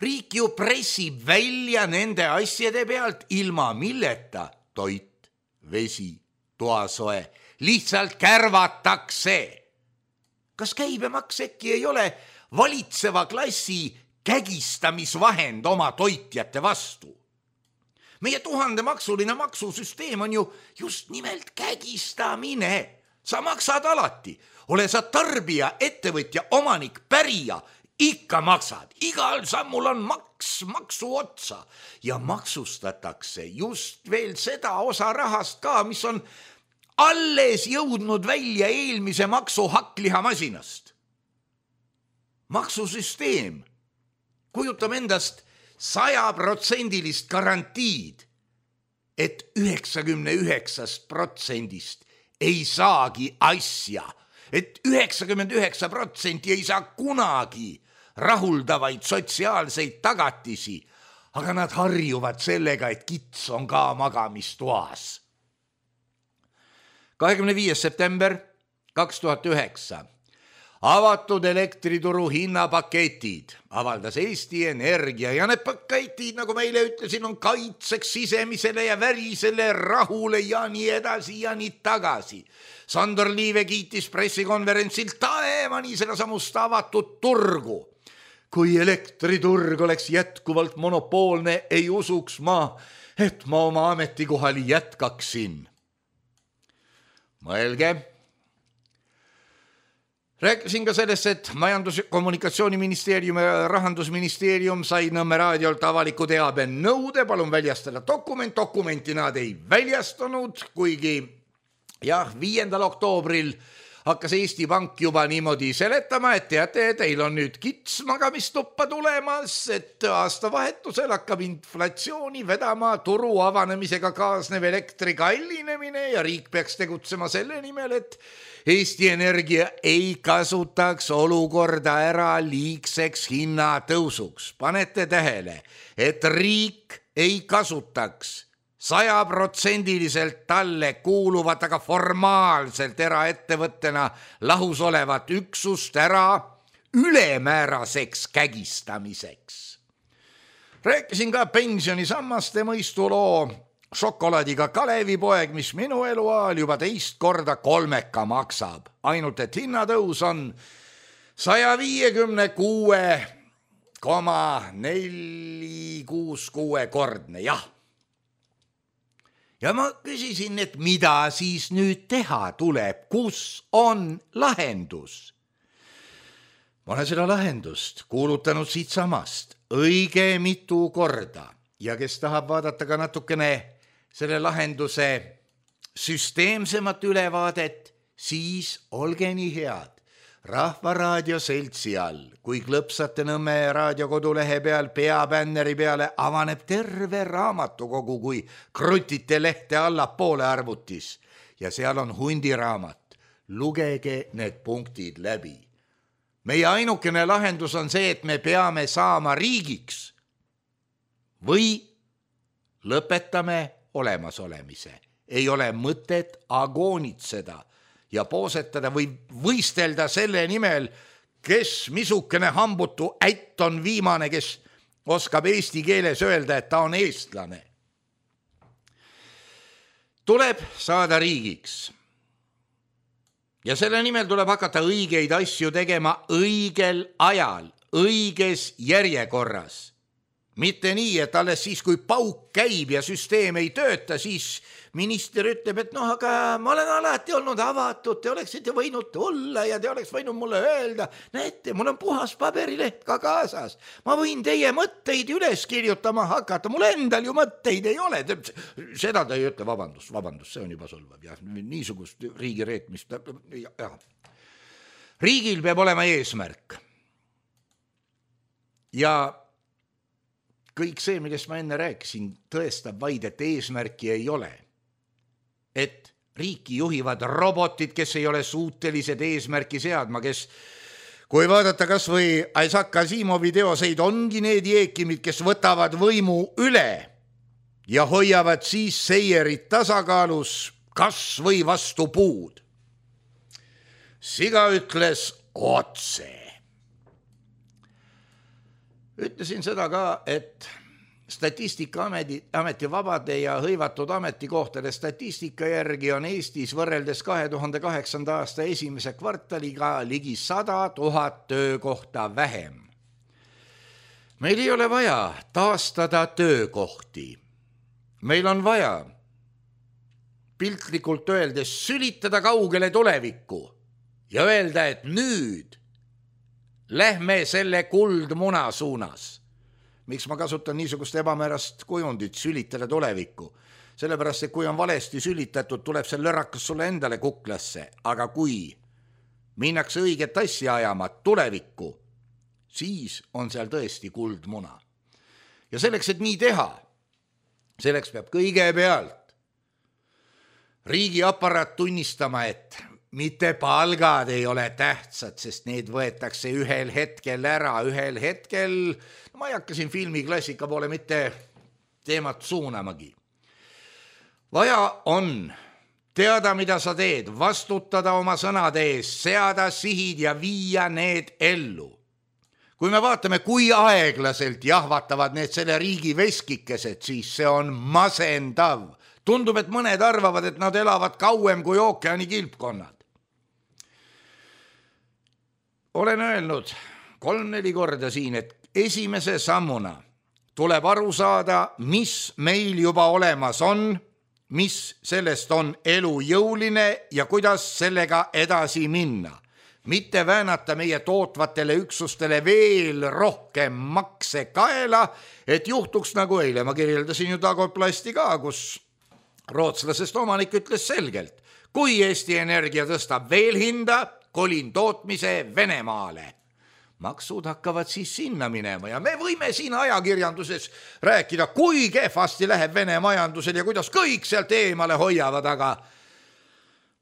Riik ju pressib välja nende asjade pealt, ilma milleta toit, vesi, toasoe lihtsalt kärvatakse. Kas käibemaks äkki ei ole valitseva klassi kägistamisvahend oma toitjate vastu? Meie 1000-maksuline maksusüsteem on ju just nimelt kägistamine. Sa maksad alati, ole sa tarbija, ettevõtja, omanik, pärija, ikka maksad. Igal sammul on maksu otsa ja maksustatakse just veel seda osa rahast ka, mis on alles jõudnud välja eelmise maksu hakklihamasinast. Maksusüsteem kujutab endast 100% garantiid, et 99% ei saagi asja, et 99% ei saa kunagi rahuldavaid sotsiaalseid tagatisi, aga nad harjuvad sellega, et kits on ka magamistoas. 25. september 2009. Avatud elektrituru hinnapaketid avaldas Eesti Energia ja need paketid, nagu meile ütlesin, on kaitseks sisemisele ja värisele rahule ja nii edasi ja nii tagasi. Sandor Liive kiitis pressikonverentsil taevani seda samust avatud turgu. Kui elektriturg oleks jätkuvalt monopoolne, ei usuks ma, et ma oma ametikohal jätkaksin. Mõelge. Rääkisin ka sellest, et Majandus- ja Kommunikatsiooniministeerium ja Rahandusministeerium sai Nõmme raadiolt avaliku teabe nõude, palun väljastada dokument. Dokumenti nad ei väljastanud, kuigi 5. oktoobril hakkas Eesti Pank juba niimoodi seletama, et teate, teil on nüüd kits magamistuppa tulemas, et aastavahetusel hakkab inflatsiooni vedama turu avanemisega kaasnev elektri kallinemine ja riik peaks tegutsema selle nimel, et Eesti Energia ei kasutaks olukorda ära liigseks hinnatõusuks. Panete tähele, et riik ei kasutaks 100% talle kuuluvat, aga formaalselt eraettevõttena lahus olevat üksust ära ülemääraseks kägistamiseks. Rääkisin ka pensionisammaste mõistuloo šokolaadiga Kalevipoeg, mis minu eluajal juba 2 korda 3 maksab. Ainult et hinnatõus on 156,466 kordne, jah. Ja ma küsisin, et mida siis nüüd teha tuleb, kus on lahendus? Ma olen seda lahendust kuulutanud siit samast õige mitu korda ja kes tahab vaadata ka natukene selle lahenduse süsteemsemat ülevaadet, siis olge nii head. Rahvaraadio seltsi all, kui klõpsate Nõmme raadiokodulehe peal peabänneri peale, avaneb terve raamatukogu, kui krutite lehte allapoole arvutis ja seal on hundiraamat. Lugege need punktid läbi. Meie ainukene lahendus on see, et me peame saama riigiks või lõpetame olemasolemise. Ei ole mõtet agoonitseda ja poosetada või võistelda selle nimel, kes misukene hambutu ätt on viimane, kes oskab eesti keeles öelda, et ta on eestlane. Tuleb saada riigiks. Ja selle nimel tuleb hakata õigeid asju tegema õigel ajal, õiges järjekorras. Mitte nii, et alles siis, kui pauk käib ja süsteem ei tööta, siis minister ütleb, et aga ma olen alati olnud avatud, te oleksite võinud tulla ja te oleks võinud mulle öelda, näete, mul on puhas paberileht ka kaasas. Ma võin teie mõtteid üles kirjutama hakata, mul endal ju mõtteid ei ole. Seda ta ei ütle, vabandust, see on juba solvav. Ja, niisugust riigi reetmist. Ja. Riigil peab olema eesmärk. Ja kõik see, millest ma enne rääkisin, tõestab vaid, et eesmärki ei ole. Et riiki juhivad robotid, kes ei ole suutelised eesmärki seadma, kes, kui vaadata kas või Isaac Asimovi teoseid, ongi need jeekimid, kes võtavad võimu üle ja hoiavad siis seierit tasakaalus kas või vastu puud. Siga ütles otse. Ütlesin seda ka, et Statistikaameti vabade ja hõivatud ametikohtade statistika järgi on Eestis võrreldes 2008. aasta esimese kvartaliga ligi 100 000 töökohta vähem. Meil ei ole vaja taastada töökohti. Meil on vaja piltlikult öeldes sülitada kaugele tulevikku ja öelda, et nüüd lähme selle kuldmuna suunas. Miks ma kasutan niisugust ebamäärast kujundit sülitada tulevikku? Sellepärast, et kui on valesti sülitatud, tuleb see lõrakas sulle endale kuklasse. Aga kui minnakse õiget asja ajama tulevikku, siis on seal tõesti kuldmuna. Ja selleks, et nii teha, selleks peab kõigepealt riigiaparaat tunnistama, et mitte palgad ei ole tähtsad, sest need võetakse ühel hetkel ära, ühel hetkel, ma ei hakka siin filmiklassika poole mitte teemat suunamagi. Vaja on teada, mida sa teed, vastutada oma sõnade ees, seada sihid ja viia need ellu. Kui me vaatame, kui aeglaselt jahvatavad need selle riigi veskikesed, siis see on masendav. Tundub, et mõned arvavad, et nad elavad kauem kui ookeani kilpkonnad. Olen öelnud 3-4 korda siin, et esimese sammuna tuleb aru saada, mis meil juba olemas on, mis sellest on elujõuline ja kuidas sellega edasi minna. Mitte väänata meie tootvatele üksustele veel rohkem makse kaela, et juhtuks nagu eile. Ma kirjeldasin ju Dagoplasti ka, kus rootslasest omanik ütles selgelt, Kui Eesti Energia tõstab veel hinda, kolin tootmise Venemaale. Maksud hakkavad siis sinna minema ja me võime siin ajakirjanduses rääkida, kui kehvasti läheb Vene majandusel ja kuidas kõik sealt eemale hoiavad,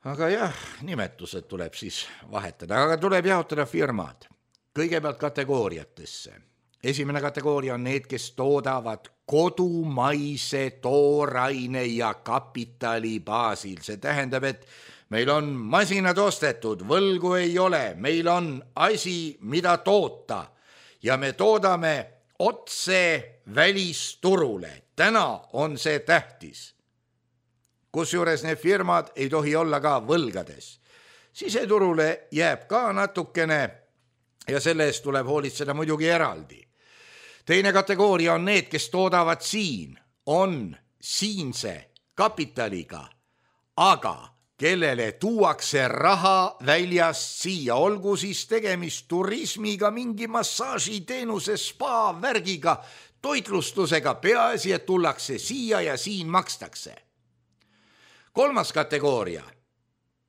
aga jah, nimetused tuleb siis vahetada, aga tuleb jaotada firmad kõigepealt kategooriatesse. Esimene kategooria on need, kes toodavad kodumaise tooraine ja kapitali baasil. See tähendab, et meil on masinad ostetud, võlgu ei ole, meil on asi, mida toota ja me toodame otse välisturule. Täna on see tähtis. Kusjuures need firmad ei tohi olla ka võlgades. Siseturule jääb ka natukene ja selle eest tuleb hoolitseda muidugi eraldi. Teine kategooria on need, kes toodavad siin, on siinse kapitaliga, aga kellele tuuakse raha väljast siia, olgu siis tegemist turismiga, mingi massaažiteenuse, spa värgiga, toitlustusega, peaasi, et tullakse siia ja siin makstakse. Kolmas kategooria,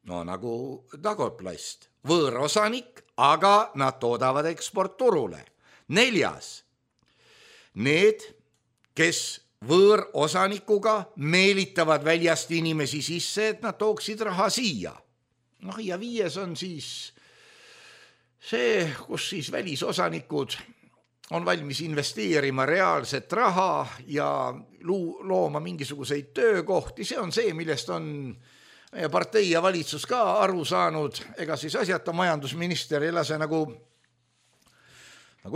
no nagu Dagotplast, võõrosanik, aga nad toodavad eksportturule. Neljas, need, kes võõrosanikuga meelitavad väljast inimesi sisse, et nad tooksid raha siia. Ja viies on siis see, kus siis välisosanikud on valmis investeerima reaalset raha ja looma mingisuguseid töökohti. See on see, millest on partei ja valitsus ka aru saanud. Ega siis asjata majandusminister ei lase nagu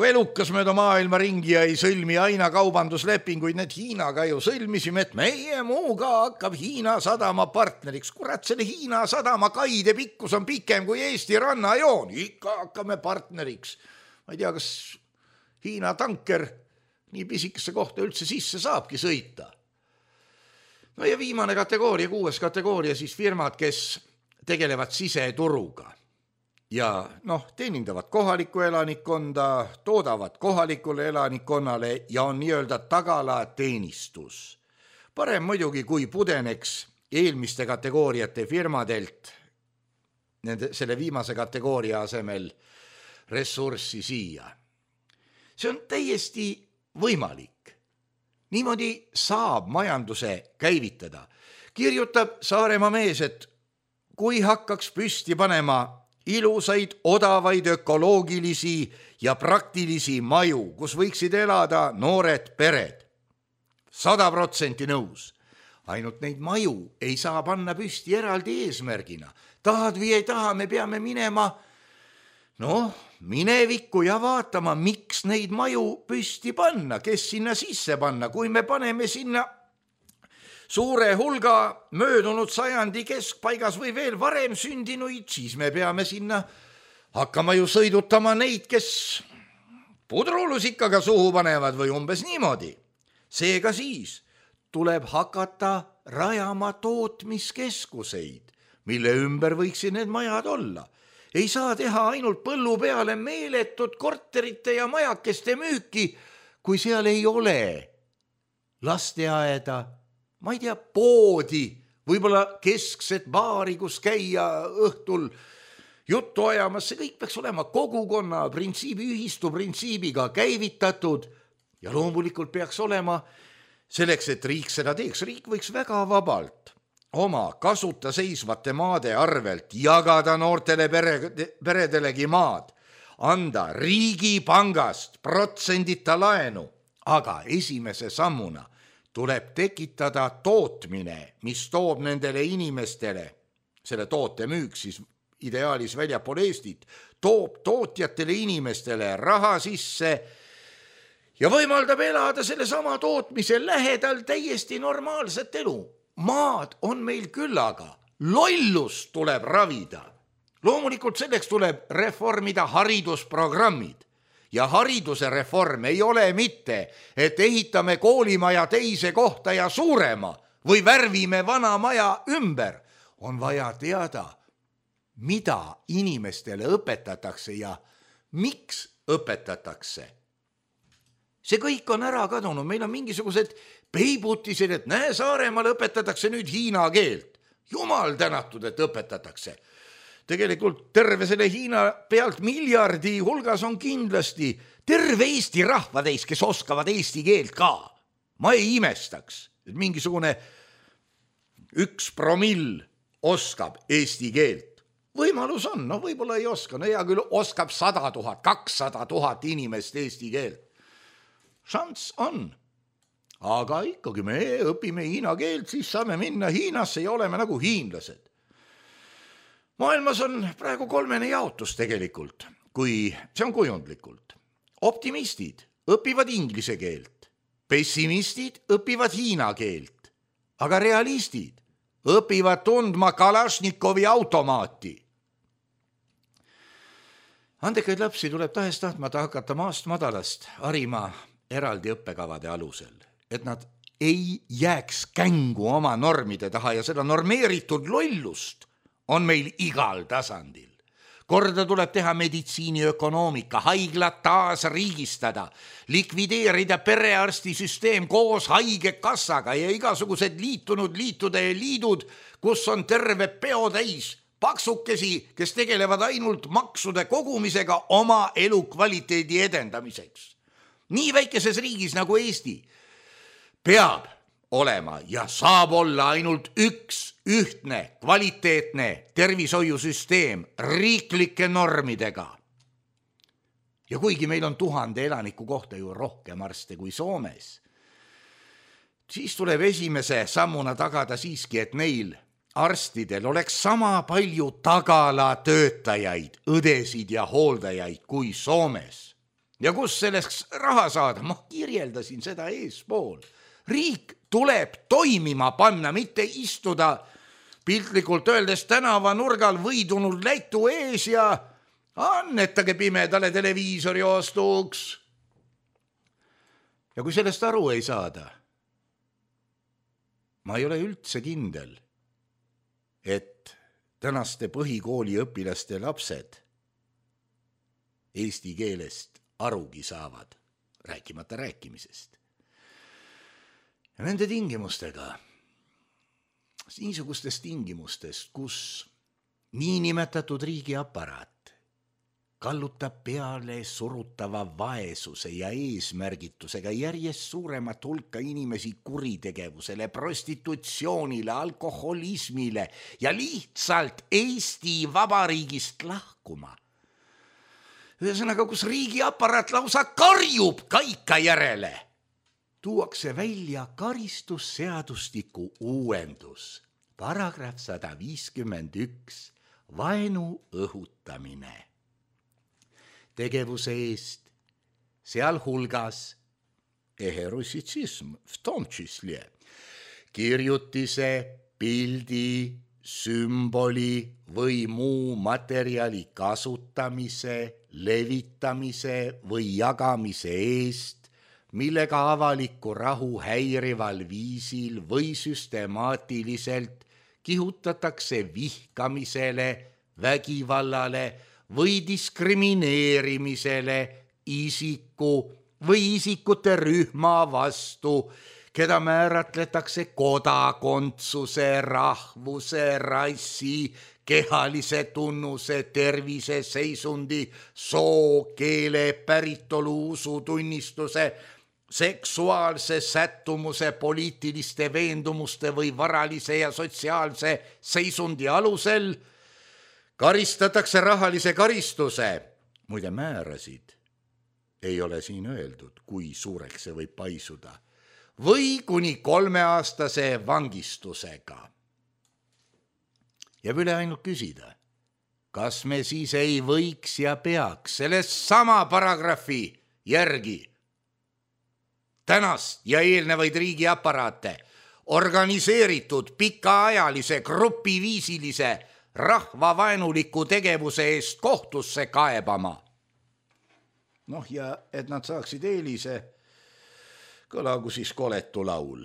elukas mööda maailma ringi ja ei sõlmi aina kaubanduslepinguid. Need Hiinaga ju sõlmisime, et meie muuga hakkab Hiina sadama partneriks. Kurat, selle Hiina sadama kaide pikkus on pikem kui Eesti rannajoon. Ikka hakkame partneriks. Ma ei tea, kas Hiina tanker nii pisikesse kohta üldse sisse saabki sõita. No ja viimane kategooria, 6. kategooria, siis firmad, kes tegelevad siseturuga. Ja teenindavad kohalikku elanikkonda, toodavad kohalikule elanikkonnale ja on nii-öelda tagalateenistus. Parem muidugi, kui pudeneks eelmiste kategooriate firmadelt selle viimase kategooria asemel ressurssi siia. See on täiesti võimalik. Niimoodi saab majanduse käivitada. Kirjutab Saaremaa mees, et kui hakkaks püsti panema ilusaid, odavaid, ökoloogilisi ja praktilisi maju, kus võiksid elada noored pered. 100% nõus. Ainult neid maju ei saa panna püsti eraldi eesmärgina. Tahad või ei taha, me peame minema minevikku ja vaatama, miks neid maju püsti panna, kes sinna sisse panna. Kui me paneme sinna suure hulga möödunud sajandi keskpaigas või veel varem sündinuid, siis me peame sinna hakkama ju sõidutama neid, kes pudrulusikaga suhu panevad või umbes niimoodi. Seega siis tuleb hakata rajama tootmiskeskuseid, mille ümber võiksid need majad olla. Ei saa teha ainult põllu peale meeletut korterite ja majakeste müüki, kui seal ei ole lasteaeda, ma ei tea, poodi, võib-olla keskset baari, kus käia õhtul juttu ajamas. See kõik peaks olema kogukonna printsiibi, ühistu printsiibiga käivitatud ja loomulikult peaks olema selleks, et riik seda teeks. Riik võiks väga vabalt oma kasuta seisvate maade arvelt jagada noortele peredelegi maad, anda riigipangast protsendita laenu, aga esimese sammuna tuleb tekitada tootmine, mis toob nendele inimestele, selle toote müük siis ideaalis väljapool Eestit, toob tootjatele inimestele raha sisse ja võimaldab elada selle sama tootmise lähedal täiesti normaalset elu. Maad on meil küllaga, lollust tuleb ravida. Loomulikult selleks tuleb reformida haridusprogrammid. Ja hariduse reform ei ole mitte, et ehitame koolimaja teise kohta ja suurema või värvime vana maja ümber. On vaja teada, mida inimestele õpetatakse ja miks õpetatakse. See kõik on ära kadunud, meil on mingisugused peibutised, et näe, Saaremaal õpetatakse nüüd hiina keelt. Jumal tänatud, et õpetatakse. Tegelikult terve selle Hiina pealt miljardi hulgas on kindlasti terve Eesti rahvatäis, kes oskavad eesti keelt ka. Ma ei imestaks, et mingisugune 1% oskab eesti keelt. Võimalus on, no võib-olla ei oska, no hea küll oskab 100 000, 200 000 inimest eesti keelt. Šanss on. Aga ikkagi me õpime hiina keelt, siis saame minna Hiinasse ja oleme nagu hiinlased. Maailmas on praegu 3 jaotus tegelikult, kui see on kujundlikult. Optimistid õpivad inglise keelt, pessimistid õpivad hiina keelt, aga realistid õpivad tundma Kalašnikovi automaati. Andekaid lapsi tuleb tahes-tahtmata hakata maast madalast harima eraldi õppekavade alusel, et nad ei jääks kängu oma normide taha ja seda normeeritud lollust on meil igal tasandil. Korda tuleb teha meditsiiniökonoomika, haiglad taas riigistada, likvideerida perearstisüsteem koos haigekassaga ja igasugused liitunud liitude ja liidud, kus on terve peotäis paksukesi, kes tegelevad ainult maksude kogumisega oma elukvaliteedi edendamiseks. Nii väikeses riigis nagu Eesti peab olema ja saab olla ainult üks ühtne, kvaliteetne tervishoiusüsteem riiklike normidega. Ja kuigi meil on 1000 elaniku kohta ju rohkem arste kui Soomes, siis tuleb esimese sammuna tagada siiski, et neil arstidel oleks sama palju tagalatöötajaid, õdesid ja hooldajaid kui Soomes. Ja kus selleks raha saada? Ma kirjeldasin seda eespool. Riik tuleb toimima panna, mitte istuda piltlikult öeldes tänavanurgal võidunud Lätu ees ja annetage pimedale televiisori ostuks. Ja kui sellest aru ei saada, ma ei ole üldse kindel, et tänaste põhikooli õpilaste lapsed eesti keelest arugi saavad, rääkimata rääkimisest. Ja nende tingimustega, niisugustes tingimustes, kus niinimetatud riigiaparaat kallutab peale surutava vaesuse ja eesmärgitusega järjest suuremat hulka inimesi kuritegevusele, prostitutsioonile, alkoholismile ja lihtsalt Eesti Vabariigist lahkuma. Ühesõnaga, kus riigiaparaat lausa karjub kaika järele, tuuakse välja karistusseadustiku uuendus, paragrahv 151, vaenu õhutamine. Tegevuse eest, sealhulgas eherussitsism, v tom čísle, kirjutise, pildi, sümboli või muu materjali kasutamise, levitamise või jagamise eest, millega avalikku rahu häirival viisil või süstemaatiliselt kihutatakse vihkamisele, vägivallale või diskrimineerimisele isiku või isikute rühma vastu, keda määratletakse kodakondsuse, rahvuse, rassi, kehalise tunnuse, tervise, seisundi, soo, keele, päritolu, usutunnistuse, seksuaalse sättumuse, poliitiliste veendumuste või varalise ja sotsiaalse seisundi alusel, karistatakse rahalise karistuse. Muide, määrasid ei ole siin öeldud, kui suureks see võib paisuda. Või kuni 3-aastase vangistusega. Jääb üle ainult küsida, kas me siis ei võiks ja peaks sellest sama paragrahvi järgi tänast ja eelnevaid riigiaparaate organiseeritud pikaajalise grupiviisilise rahvavaenuliku tegevuse eest kohtusse kaebama. Noh, ja et nad saaksid eelise, kõlagu siis koletu laul.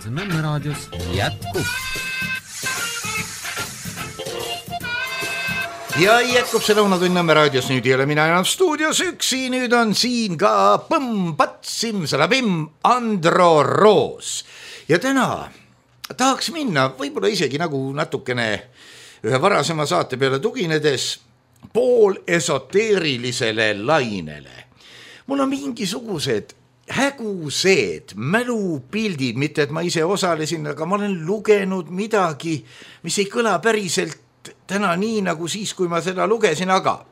Nõmme raadios jätkub. Ja jätkub see Lõunatund Nõmme raadios, nüüd ei ole mina enam stuudios üksi, nüüd on siin ka põmm-pats-sim, salabim, Andro Roos. Ja täna tahaks minna võib-olla isegi nagu natukene ühe varasema saate peale tuginedes pool esoteerilisele lainele. Mul on mingisugused hägused mälupildid, mitte et ma ise osalesin, aga ma olen lugenud midagi, mis ei kõla päriselt täna nii nagu siis, kui ma seda lugesin, aga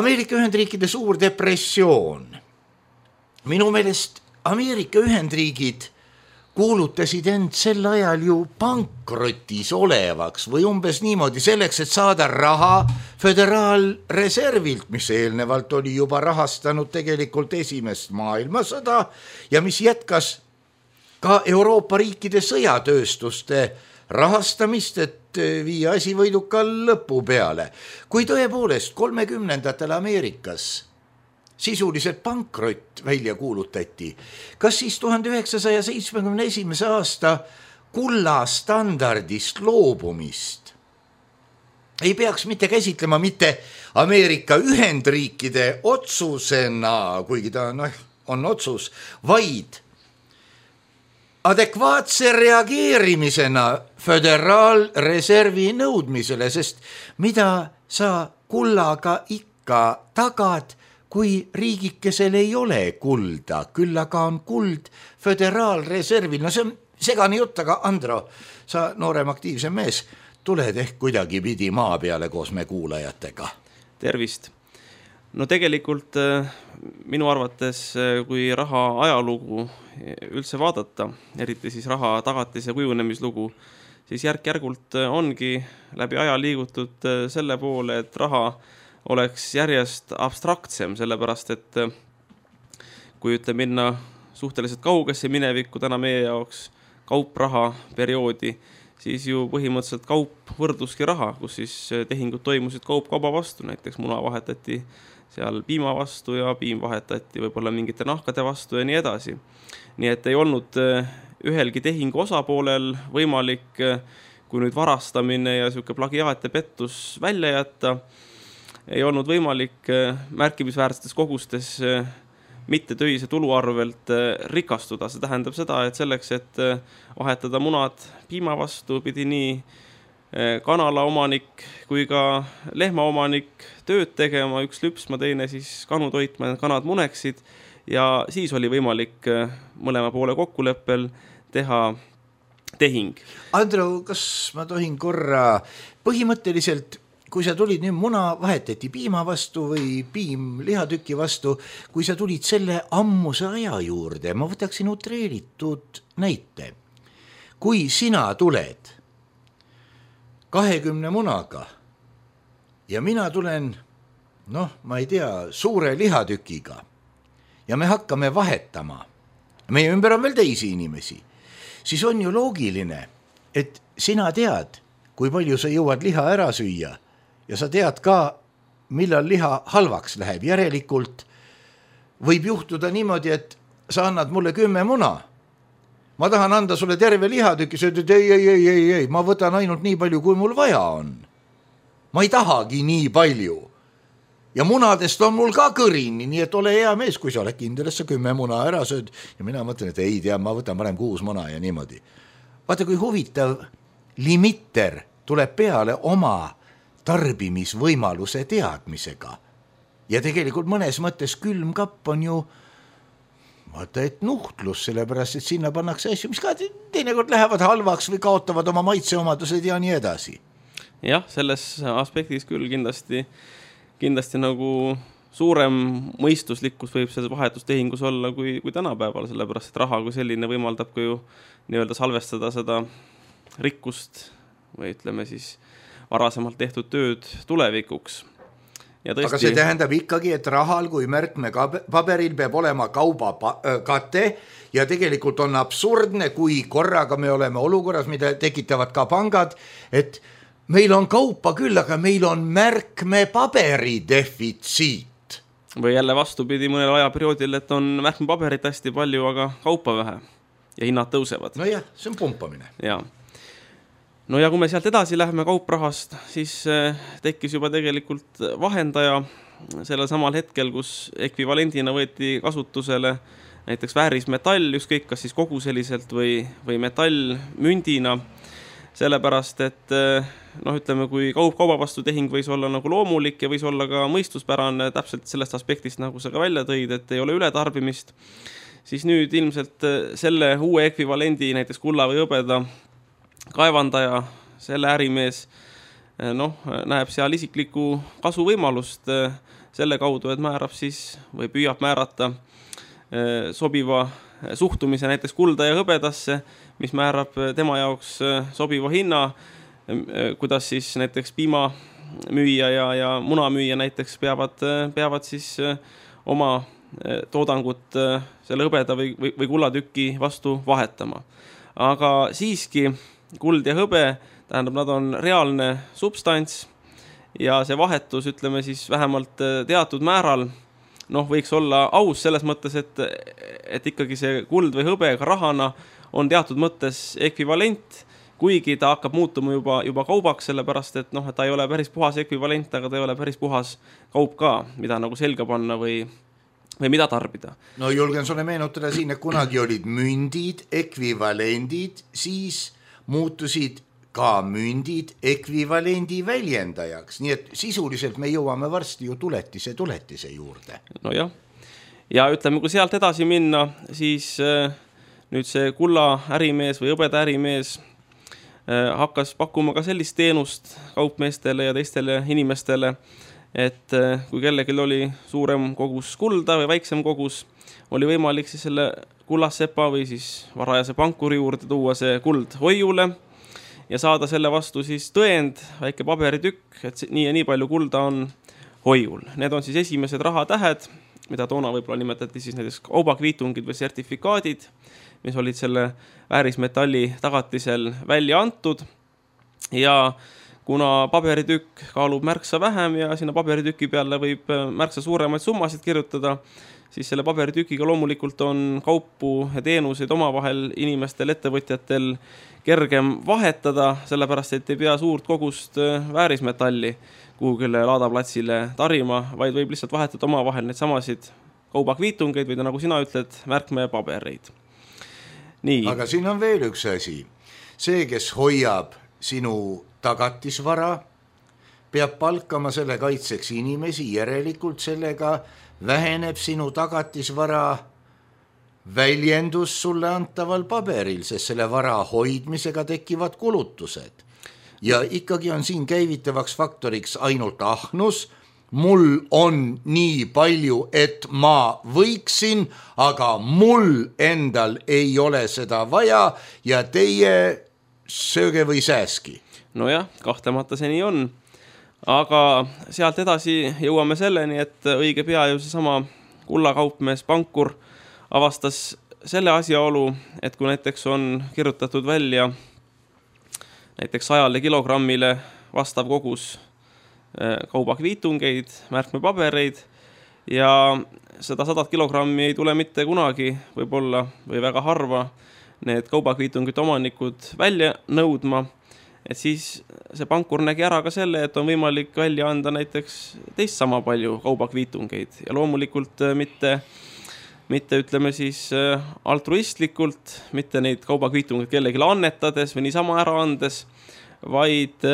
Ameerika Ühendriikide suur depressioon. Minu meelest Ameerika Ühendriigid kuulutasid end sel ajal ju pankrotis olevaks või umbes niimoodi selleks, et saada raha föderaalreservilt, mis eelnevalt oli juba rahastanud tegelikult esimest maailmasõda ja mis jätkas ka Euroopa riikide sõjatööstuste rahastamist, et viia asi võidukal lõpu peale. Kui tõepoolest 30ndatel Ameerikas sisuliselt pankrott välja kuulutati, kas siis 1971. aasta kullastandardist loobumist ei peaks mitte käsitlema mitte Ameerika Ühendriikide otsusena, kuigi ta on otsus, vaid adekvaatse reageerimisena föderaalreservi nõudmisele, sest mida sa kullaga ikka tagad, kui riigikesel ei ole kulda, küll aga on kuld föderaalreservil. No see on segane jutt, aga Andro, sa noorem aktiivsem mees, tuled ehk kuidagi pidi maa peale koos me kuulajatega. Tervist. No tegelikult minu arvates, kui raha ajalugu üldse vaadata, eriti siis raha tagatis- ja kujunemislugu, siis järk-järgult ongi läbi aja liigutud selle poole, et raha oleks järjest abstraktsem, sellepärast et kui ütle minna suhteliselt kaugesse minevikku täna meie jaoks kaupraha perioodi, siis ju põhimõtteliselt kaup võrduski raha, kus siis tehingud toimusid kaup kauba vastu, näiteks muna vahetati seal piima vastu ja piim vahetati võib-olla mingite nahkade vastu ja nii edasi. Nii et ei olnud ühelgi tehingu osapoolel võimalik, kui nüüd varastamine ja selline plagiaat ja pettus välja jätta, ei olnud võimalik märkimisväärsetes kogustes mitte töise tulu arvelt rikastuda. See tähendab seda, et selleks, et vahetada munad piima vastu, pidi nii kanala omanik kui ka lehma omanik tööd tegema, üks lüpsma, teine siis kanu toitma, kanad muneksid ja siis oli võimalik mõlema poole kokkuleppel teha tehing. Andro, kas ma tohin korra põhimõtteliselt, kui sa tulid nüüd muna vahetati piima vastu või piim lihatüki vastu, kui sa tulid selle ammuse aja juurde, ma võtaksin utreeritud näite. Kui sina tuled 20 munaga ja mina tulen, ma ei tea, suure lihatükiga ja me hakkame vahetama, meie ümber on veel teisi inimesi, siis on ju loogiline, et sina tead, kui palju sa jõuad liha ära süüa ja sa tead ka, millal liha halvaks läheb. Järelikult võib juhtuda niimoodi, et sa annad mulle 10 muna. Ma tahan anda sulle terve lihatüki, sa ütled, ei, ma võtan ainult nii palju, kui mul vaja on. Ma ei tahagi nii palju. Ja munadest on mul ka kõrini, nii et ole hea mees, kui sa oled kindel, et sa 10 muna ära sööd. Ja mina mõtlen, et ei tea, ma võtan parem 6 muna ja niimoodi. Vaata, kui huvitav limitter tuleb peale oma tarbimisvõimaluse teadmisega. Ja tegelikult mõnes mõttes külmkapp on ju vaata, et nuhtlus, sellepärast, et sinna pannakse asju, mis ka teinekord lähevad halvaks või kaotavad oma maitseomadused ja nii edasi. Jah, selles aspektis küll kindlasti nagu suurem mõistuslikkus võib see vahetustehingus olla kui tänapäeval, sellepärast, et raha kui selline võimaldab ka ju nii-öelda salvestada seda rikkust või ütleme siis varasemalt tehtud tööd tulevikuks. Tõesti... Aga see tähendab ikkagi, et rahal kui märkme paberil peab olema kauba kate ja tegelikult on absurdne, kui korraga me oleme olukorras, mida tekitavad ka pangad, et meil on kaupa küll, aga meil on märkme paberi defitsiit. Või jälle vastupidi mõnel ajaperioodil, et on märkme paberit hästi palju, aga kaupa vähe. ja hinnad tõusevad. No jah, see on pumpamine. Ja. No ja kui me sealt edasi läheme kauprahast, siis tekkis juba tegelikult vahendaja sellel samal hetkel, kus ekvivalendina võeti kasutusele näiteks väärismetall, ükskõik kas siis koguseliselt või metallmündina, sellepärast, et ütleme, kui kauba vastu tehing võis olla nagu loomulik ja võis olla ka mõistuspärane täpselt sellest aspektist, nagu sa ka välja tõid, et ei ole ületarbimist, siis nüüd ilmselt selle uue ekvivalendi, näiteks kulla või hõbeda kaevandaja, selle ärimees, näeb seal isikliku kasuvõimalust selle kaudu, et määrab siis või püüab määrata sobiva suhtumise näiteks kulda ja hõbedasse, mis määrab tema jaoks sobiva hinna, kuidas siis näiteks piimamüüja ja munamüüja näiteks peavad siis oma toodangut selle hõbeda või kullatüki vastu vahetama. Aga siiski kuld ja hõbe, tähendab, nad on reaalne substants ja see vahetus, ütleme siis vähemalt teatud määral, võiks olla aus selles mõttes, et ikkagi see kuld või hõbe ka rahana on teatud mõttes ekvivalent, kuigi ta hakkab muutuma juba kaubaks, sellepärast et ta ei ole päris puhas ekvivalent, aga ta ei ole päris puhas kaup ka, mida nagu selga panna või mida tarbida. No julgen sulle meenutada siin, et kunagi olid mündid, ekvivalendid, siis muutusid ka mündid ekvivalendi väljendajaks, nii et sisuliselt me jõuame varsti ju tuletise juurde. No jah, ja ütleme, kui sealt edasi minna, siis nüüd see kulla ärimees või hõbeda ärimees hakkas pakkuma ka sellist teenust kaupmeestele ja teistele inimestele, et kui kellelgi oli suurem kogus kulda või väiksem kogus, oli võimalik siis selle kullassepa või siis varajase pankuri juurde tuua see kuld hoiule ja saada selle vastu siis tõend, väike paberitükk, et nii ja nii palju kulda on hoiul. Need on siis esimesed rahatähed, mida toona võib-olla nimetati siis näiteks kaubakviitungid või sertifikaadid, mis olid selle väärismetalli tagatisel välja antud. Ja kuna paberitükk kaalub märksa vähem ja sinna paberitüki peale võib märksa suuremaid summasid kirjutada, siis selle paberitükiga loomulikult on kaupu ja teenuseid omavahel inimestel, ettevõtjatel kergem vahetada, sellepärast et ei pea suurt kogust väärismetalli kuhugile laadaplatsile tarima, vaid võib lihtsalt vahetada omavahel neid samasid kaubakviitungeid või nagu sina ütled, märkmepabereid. Nii. Aga siin on veel üks asi. See, kes hoiab sinu tagatisvara, peab palkama selle kaitseks inimesi, järelikult sellega väheneb sinu tagatisvara väljendus sulle antaval paberil, sest selle vara hoidmisega tekivad kulutused. Ja ikkagi on siin käivitavaks faktoriks ainult ahnus, mul on nii palju, et ma võiksin, aga mul endal ei ole seda vaja ja teie sööge või sääski. No jah, kahtlemata see nii on. Aga sealt edasi jõuame selleni, et õige pea ju seesama kullakaupmees pankur avastas selle asjaolu, et kui näiteks on kirjutatud välja näiteks 100 kilogrammile vastav kogus kaubakviitungeid, märkmepabereid ja seda 100 kilogrammi ei tule mitte kunagi võib-olla või väga harva need kaubakviitungite omanikud välja nõudma, et siis see pankur nägi ära ka selle, et on võimalik välja anda näiteks teist sama palju kaubakviitungeid ja loomulikult mitte ütleme siis altruistlikult, mitte neid kaubakviitungeid kellelegi annetades või niisama ära andes, vaid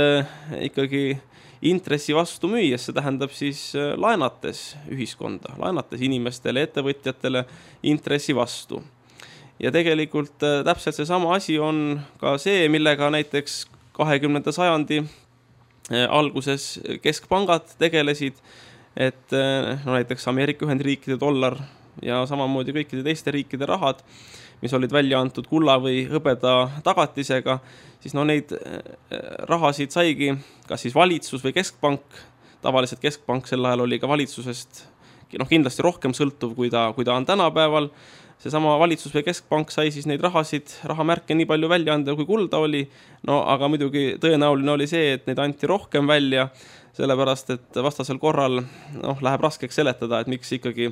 ikkagi intressi vastu müües, see tähendab siis laenates ühiskonda, laenates inimestele, ettevõtjatele intressi vastu. Ja tegelikult täpselt see sama asi on ka see, millega näiteks 20. sajandi alguses keskpangad tegelesid, et näiteks Ameerika Ühendriikide dollar ja samamoodi kõikide teiste riikide rahad, mis olid välja antud kulla või hõbeda tagatisega, siis neid rahasid saigi kas siis valitsus või keskpank, tavaliselt keskpank sel ajal oli ka valitsusest kindlasti rohkem sõltuv, kui ta on tänapäeval. Seesama valitsus või keskpank sai siis neid rahamärke nii palju välja anda, kui kulda oli, aga muidugi tõenäoline oli see, et neid anti rohkem välja, sellepärast et vastasel korral läheb raskeks seletada, et miks ikkagi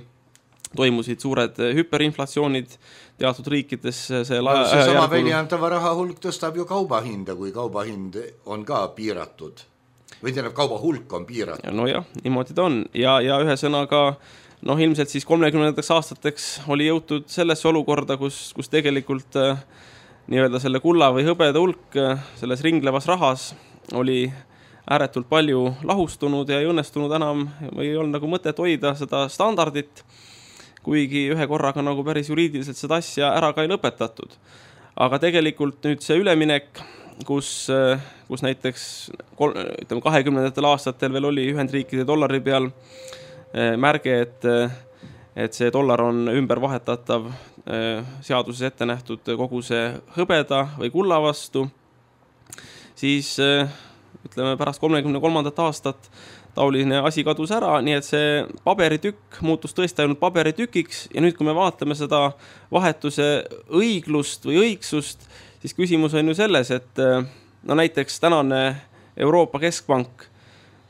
toimusid suured hüperinflatsioonid teatud riikides seesama väljantava raha hulk tõstab ju kaubahinda, kui kaubahind on ka piiratud või tähendab, kauba hulk on piiratud. No jah, niimoodi ta on ja ühe sõnaga ilmselt siis 30. aastateks oli jõutud sellesse olukorda, kus tegelikult nii-öelda selle kulla või hõbeda hulk selles ringlevas rahas oli ääretult palju lahustunud ja ei õnnestunud enam või ei olnud nagu mõtet hoida seda standardit, kuigi ühe korraga nagu päris juriidiliselt seda asja ära ka ei lõpetatud. Aga tegelikult nüüd see üleminek, kus näiteks 20. aastatel veel oli Ühendriikide dollari peal märge, et see dollar on ümber vahetatav seaduses ette nähtud kogu see hõbeda või kulla vastu, siis ütleme pärast 33. aastat taoline asi kadus ära, nii et see paberitükk muutus tõesti ainult paberitükiks ja nüüd, kui me vaatame seda vahetuse õiglust või õigsust, siis küsimus on ju selles, et näiteks tänane Euroopa Keskpank,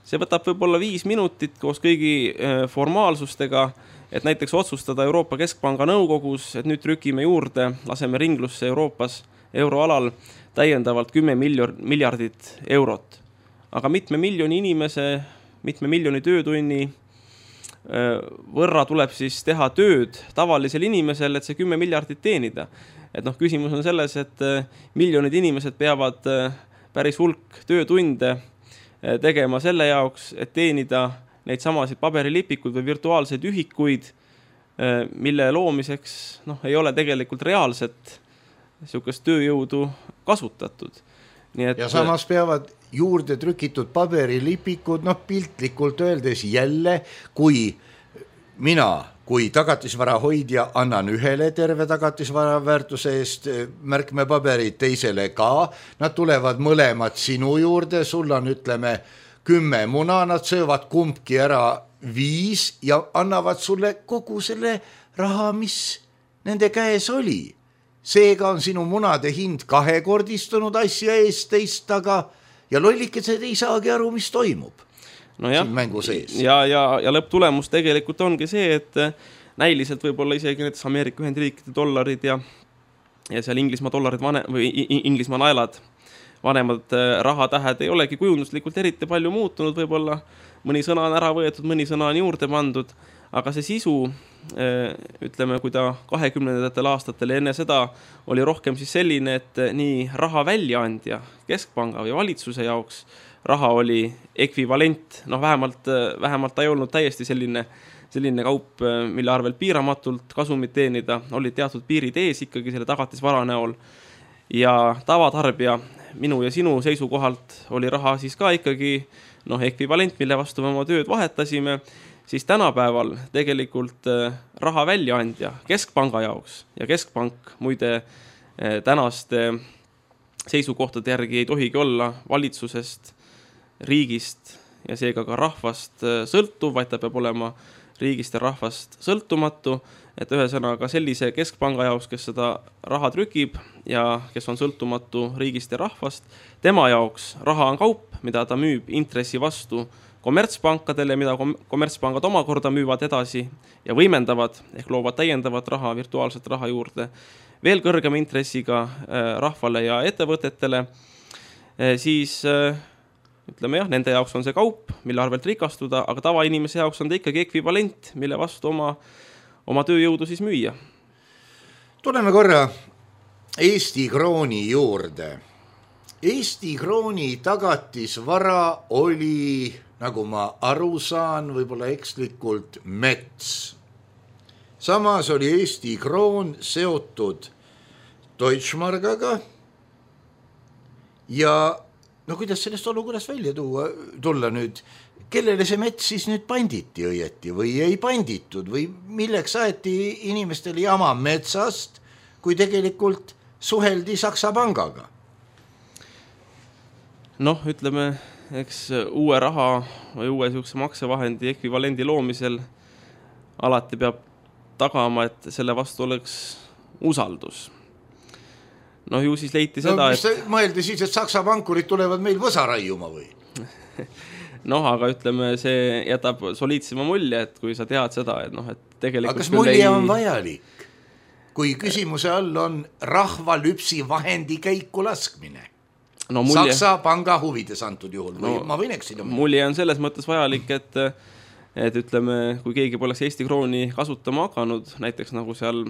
see võtab võib-olla 5 minutit koos kõigi formaalsustega, et näiteks otsustada Euroopa Keskpanga nõukogus, et nüüd trükime juurde, laseme ringlusse Euroopas euroalal täiendavalt 10 miljardit eurot. Aga mitme miljoni inimese, mitme miljoni töötunni võrra tuleb siis teha tööd tavalisel inimesel, et see 10 miljardit teenida. Et küsimus on selles, et miljonid inimesed peavad päris hulk töötunde tegema selle jaoks, et teenida neid samasid paberilipikud või virtuaalseid ühikuid, mille loomiseks ei ole tegelikult reaalset niisugust tööjõudu kasutatud. Nii et, ja samas peavad juurde trükitud paberilipikud, piltlikult öeldes jälle, kui mina kui tagatisvara hoidja annan ühele terve tagatisvara väärtuse eest märkmepaberid, teisele ka, nad tulevad mõlemad sinu juurde, sul on 10 muna, nad söövad kumbki ära 5 ja annavad sulle kogu selle raha, mis nende käes oli. Seega on sinu munade hind 2-kordistunud asja eest teist taga ja lollikesed ei saagi aru, mis toimub. Siin mängu sees. Ja lõpptulemus tegelikult ongi see, et näiliselt võib-olla isegi näiteks Ameerika Ühendriikide dollarid ja seal Inglismaa dollarid või Inglismaa naelad, vanemad rahatähed ei olegi kujunduslikult eriti palju muutunud, võib-olla mõni sõna on ära võetud, mõni sõna on juurde pandud, aga see sisu, ütleme, kui ta 20. aastatel enne seda oli rohkem siis selline, et nii raha väljaandja, keskpanga või valitsuse jaoks raha oli ekvivalent, vähemalt ta ei olnud täiesti selline kaup, mille arvel piiramatult kasumit teenida, oli teatud piirid ees ikkagi selle tagatisvara näol ja tavatarbija minu ja sinu seisukohalt oli raha siis ka ikkagi ekvivalent, mille vastu me oma tööd vahetasime, siis tänapäeval tegelikult raha väljaandja keskpanga jaoks ja keskpank muide tänaste seisukohtade järgi ei tohigi olla valitsusest, riigist ja seega ka rahvast sõltuv, vaid ta peab olema riigist ja rahvast sõltumatu, et ühesõnaga sellise keskpanga jaoks, kes seda raha trükib ja kes on sõltumatu riigist ja rahvast, tema jaoks raha on kaup, mida ta müüb intressi vastu kommertspankadele, mida kommertspangad omakorda müüvad edasi ja võimendavad ehk loovad täiendavat raha, virtuaalset raha juurde veel kõrgema intressiga rahvale ja ettevõtetele, siis ütleme nende jaoks on see kaup, mille arvelt rikastuda, aga tavainimese jaoks on ta ikkagi ekvivalent, mille vastu oma tööjõudu siis müüa. Tuleme korra Eesti krooni juurde. Eesti krooni tagatisvara oli, nagu ma aru saan, võib-olla ekslikult mets. Samas oli Eesti kroon seotud Deutschmargaga ja kuidas sellest olukorrast välja tulla nüüd, kellele see mets siis nüüd panditi õieti või ei panditud või milleks aeti inimestele jama metsast, kui tegelikult suheldi Saksa pangaga? Ütleme, eks uue raha või uue maksevahendi ekvivalendi loomisel alati peab tagama, et selle vastu oleks usaldus. Ju siis leiti seda, et mõeldi siis, et Saksa pankurid tulevad meil võsa raiuma või? Noh, aga ütleme, see jätab soliidsema mulje, et kui sa tead seda, et noh, et tegelikult aga kas mulje on vajalik, kui küsimuse all on rahvalüpsi vahendi käiku laskmine? No, mulje... Saksa panga huvides antud juhul või ma võin eksida? Mulje on selles mõttes vajalik, et ütleme, kui keegi poleks Eesti krooni kasutama hakanud, näiteks nagu seal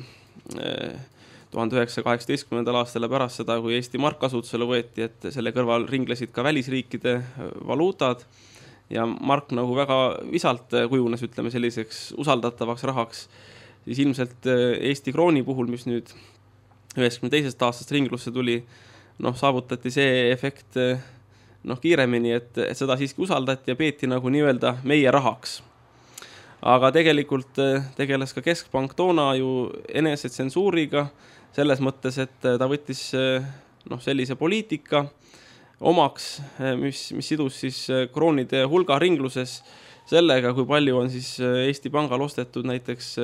1918. aastal pärast seda, kui Eesti mark kasutusele võeti, et selle kõrval ringlesid ka välisriikide valuutad ja mark nagu väga visalt kujunes, ütleme, selliseks usaldatavaks rahaks, siis ilmselt Eesti krooni puhul, mis nüüd 92. aastast ringlusse tuli, noh, saavutati see efekt kiiremini, et seda siiski usaldati ja peeti nagu nii-öelda meie rahaks. Aga tegelikult tegeles ka Keskpank toona ju enesetsensuuriga selles mõttes, et ta võttis sellise poliitika omaks, mis sidus siis kroonide hulga ringluses sellega, kui palju on siis Eesti Pangal ostetud näiteks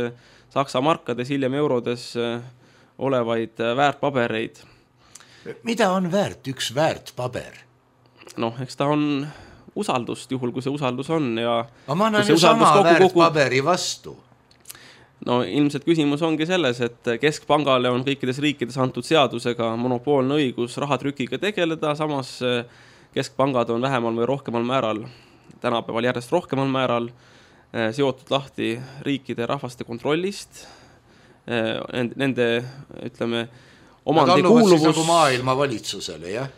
Saksa markades, hiljem eurodes olevaid väärtpabereid. Mida on väärt üks väärtpaber? Noh, eks ta on usaldust, juhul kui see usaldus on. Ja ma annan ju sama väärtpaberi vastu. No ilmselt küsimus ongi selles, et Keskpangale on kõikides riikides antud seadusega monopoolne õigus rahatrükiga tegeleda, samas Keskpangad on vähemal või rohkemal määral, tänapäeval järjest rohkemal määral seotud lahti riikide rahvaste kontrollist, nende, ütleme, omandi kuuluvus... Nad alluvad siis nagu maailma valitsusele, jah?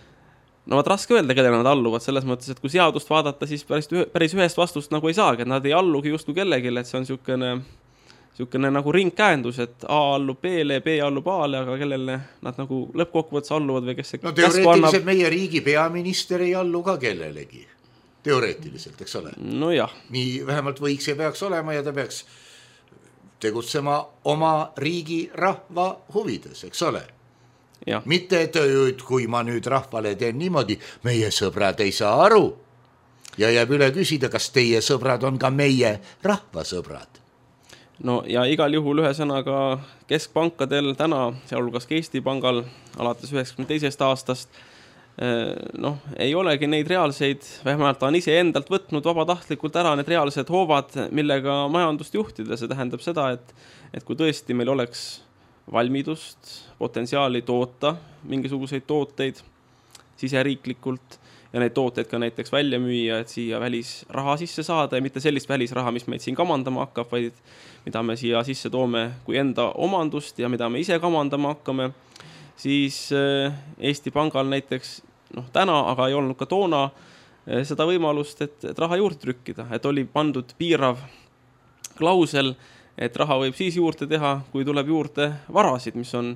No vaat raske öelda, kelle nad alluvad, selles mõttes, et kui seadust vaadata, siis päris ühest vastust nagu ei saagi, et nad ei allugi just kellegile, et see on niisugune nagu ringkäendus, et A allub B-le, B allub A-le, aga kellele nad nagu lõppkokkuvõttes alluvad või kes see... No teoreetiliselt meie riigi peaminister ei allu ka kellelegi. Teoreetiliselt, eks ole? No jah. Nii vähemalt võiks ja peaks olema ja ta peaks tegutsema oma riigi rahva huvides, eks ole? Ja. Mitte, et kui ma nüüd rahvale teen niimoodi, meie sõbrad ei saa aru ja jääb üle küsida, kas teie sõbrad on ka meie rahvasõbrad. No ja igal juhul ühesõnaga keskpankadel täna, sealhulgas ka Eesti Pangal alates 92. aastast, ei olegi neid reaalseid, vähemalt on ise endalt võtnud vabatahtlikult ära need reaalsed hoovad, millega majandust juhtida. See tähendab seda, et kui tõesti meil oleks valmidust, potentsiaali toota mingisuguseid tooteid siseriiklikult ja neid tooteid ka näiteks välja müüa, et siia välisraha sisse saada ja mitte sellist välisraha, mis meid siin kamandama hakkab, vaid mida me siia sisse toome kui enda omandust ja mida me ise kamandama hakkame, siis Eesti Pangal näiteks täna, aga ei olnud ka toona seda võimalust, et raha juurde trükkida, et oli pandud piirav klausel, et raha võib siis juurde teha, kui tuleb juurde varasid, mis on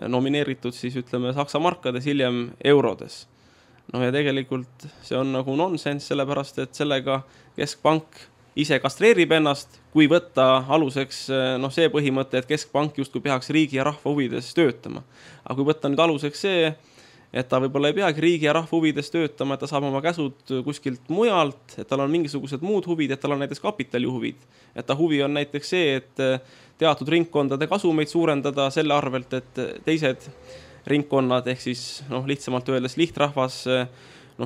nomineeritud siis ütleme Saksa markades, hiljem eurodes. No ja tegelikult see on nagu nonsense, sellepärast, et sellega Keskpank ise kastreerib ennast, kui võtta aluseks see põhimõte, et Keskpank justkui peaks riigi ja rahva huvides töötama. Aga kui võtta nüüd aluseks see, et ta võib-olla ei peagi riigi ja rahva huvides töötama, et ta saab oma käsud kuskilt mujalt, et tal on mingisugused muud huvid, et tal on näiteks kapitali huvid. Et ta huvi on näiteks see, et teatud ringkondade kasumeid suurendada selle arvelt, et teised ringkonnad ehk siis lihtsamalt öeldes lihtrahvas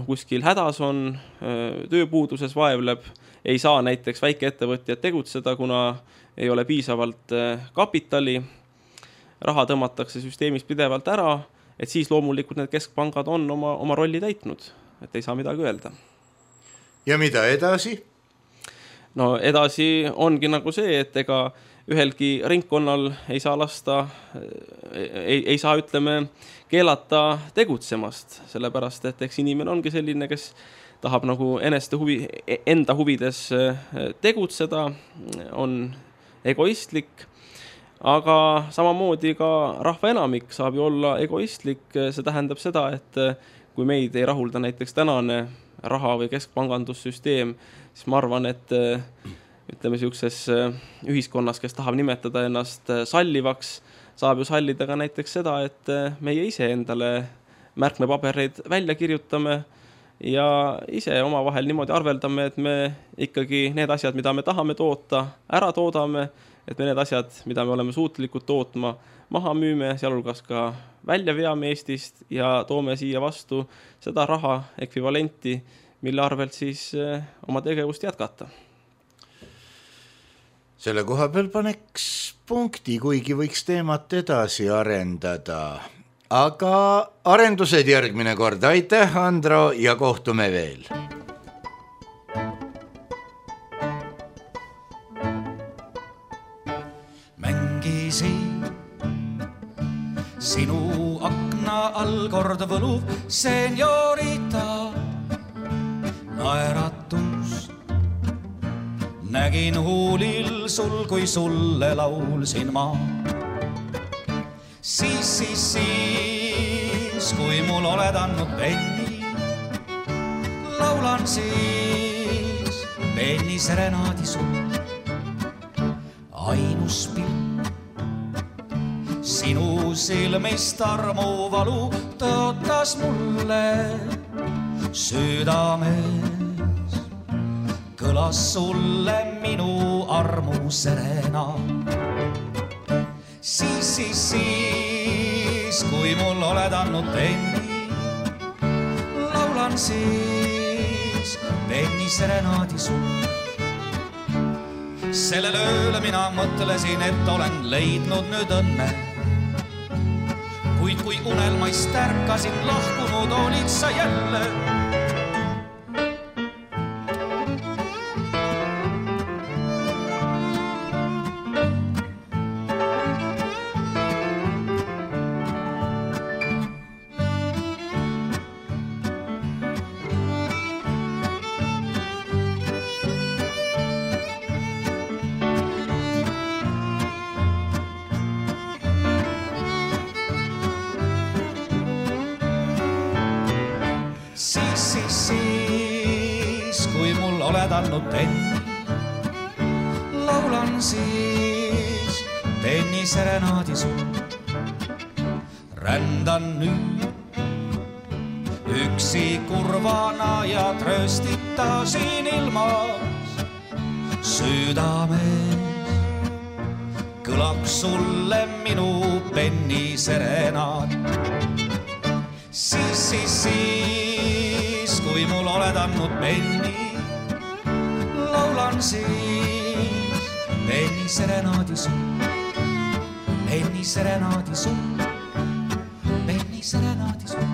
kuskil hädas on, tööpuuduses vaevleb, ei saa näiteks väikeettevõtjad tegutseda, kuna ei ole piisavalt kapitali, raha tõmmatakse süsteemis pidevalt ära, et siis loomulikult need keskpangad on oma rolli täitnud, et ei saa midagi öelda. Ja mida edasi? No edasi ongi nagu see, et ega ühelgi ringkonnal ei saa ütleme, keelata tegutsemast, sellepärast, et eks inimene ongi selline, kes tahab nagu enda huvides tegutseda, on egoistlik, aga samamoodi ka rahva enamik saab ju olla egoistlik, see tähendab seda, et kui meid ei rahulda näiteks tänane raha- või keskpangandussüsteem, siis ma arvan, et ütleme siukses ühiskonnas, kes tahab nimetada ennast sallivaks, saab ju sallida ka näiteks seda, et meie ise endale märkmepabereid välja kirjutame ja ise omavahel niimoodi arveldame, et me ikkagi need asjad, mida me tahame toota, ära toodame, et me need asjad, mida me oleme suutlikud tootma, maha müüme, sealhulgas ka välja veame Eestist ja toome siia vastu seda raha ekvivalenti, mille arvelt siis oma tegevust jätkata. Selle koha peal paneks punkti, kuigi võiks teemat edasi arendada. Aga arendused järgmine kord. Aitäh, Andro, ja kohtume veel. Mängisin sinu akna all kord võluv seniorita naeratus. Nägin huulil sul, kui sulle laulsin ma. Siis, kui mul oled andnud penni, laulan siis penni serenaadi sul. Ainus pilt sinu silmist armu valu tõotas mulle südames. Kõlas sulle minu armu serena. Siis, kui mul oled andnud penni, laulan siis penni serenaadi sul. Sellel ööle mina mõtlesin, et olen leidnud nüüd õnne. Kuid kui unelmaist ärkasin, lahkunud olid sa jälle. Siis, kui mul oled andnud penni, laulan siis penni serenaadi sul. Rändan nüüd üksi kurvana ja trööstita siin ilmas. Südames kõlab sulle minu penni serenaad. Siis, kui mul oled andnud penni, laulan siis penni serenaadi sul. Penni serenaadi sul. Penni serenaadi sul.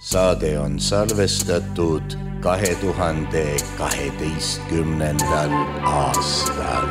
Saade on salvestatud 2012. aastal.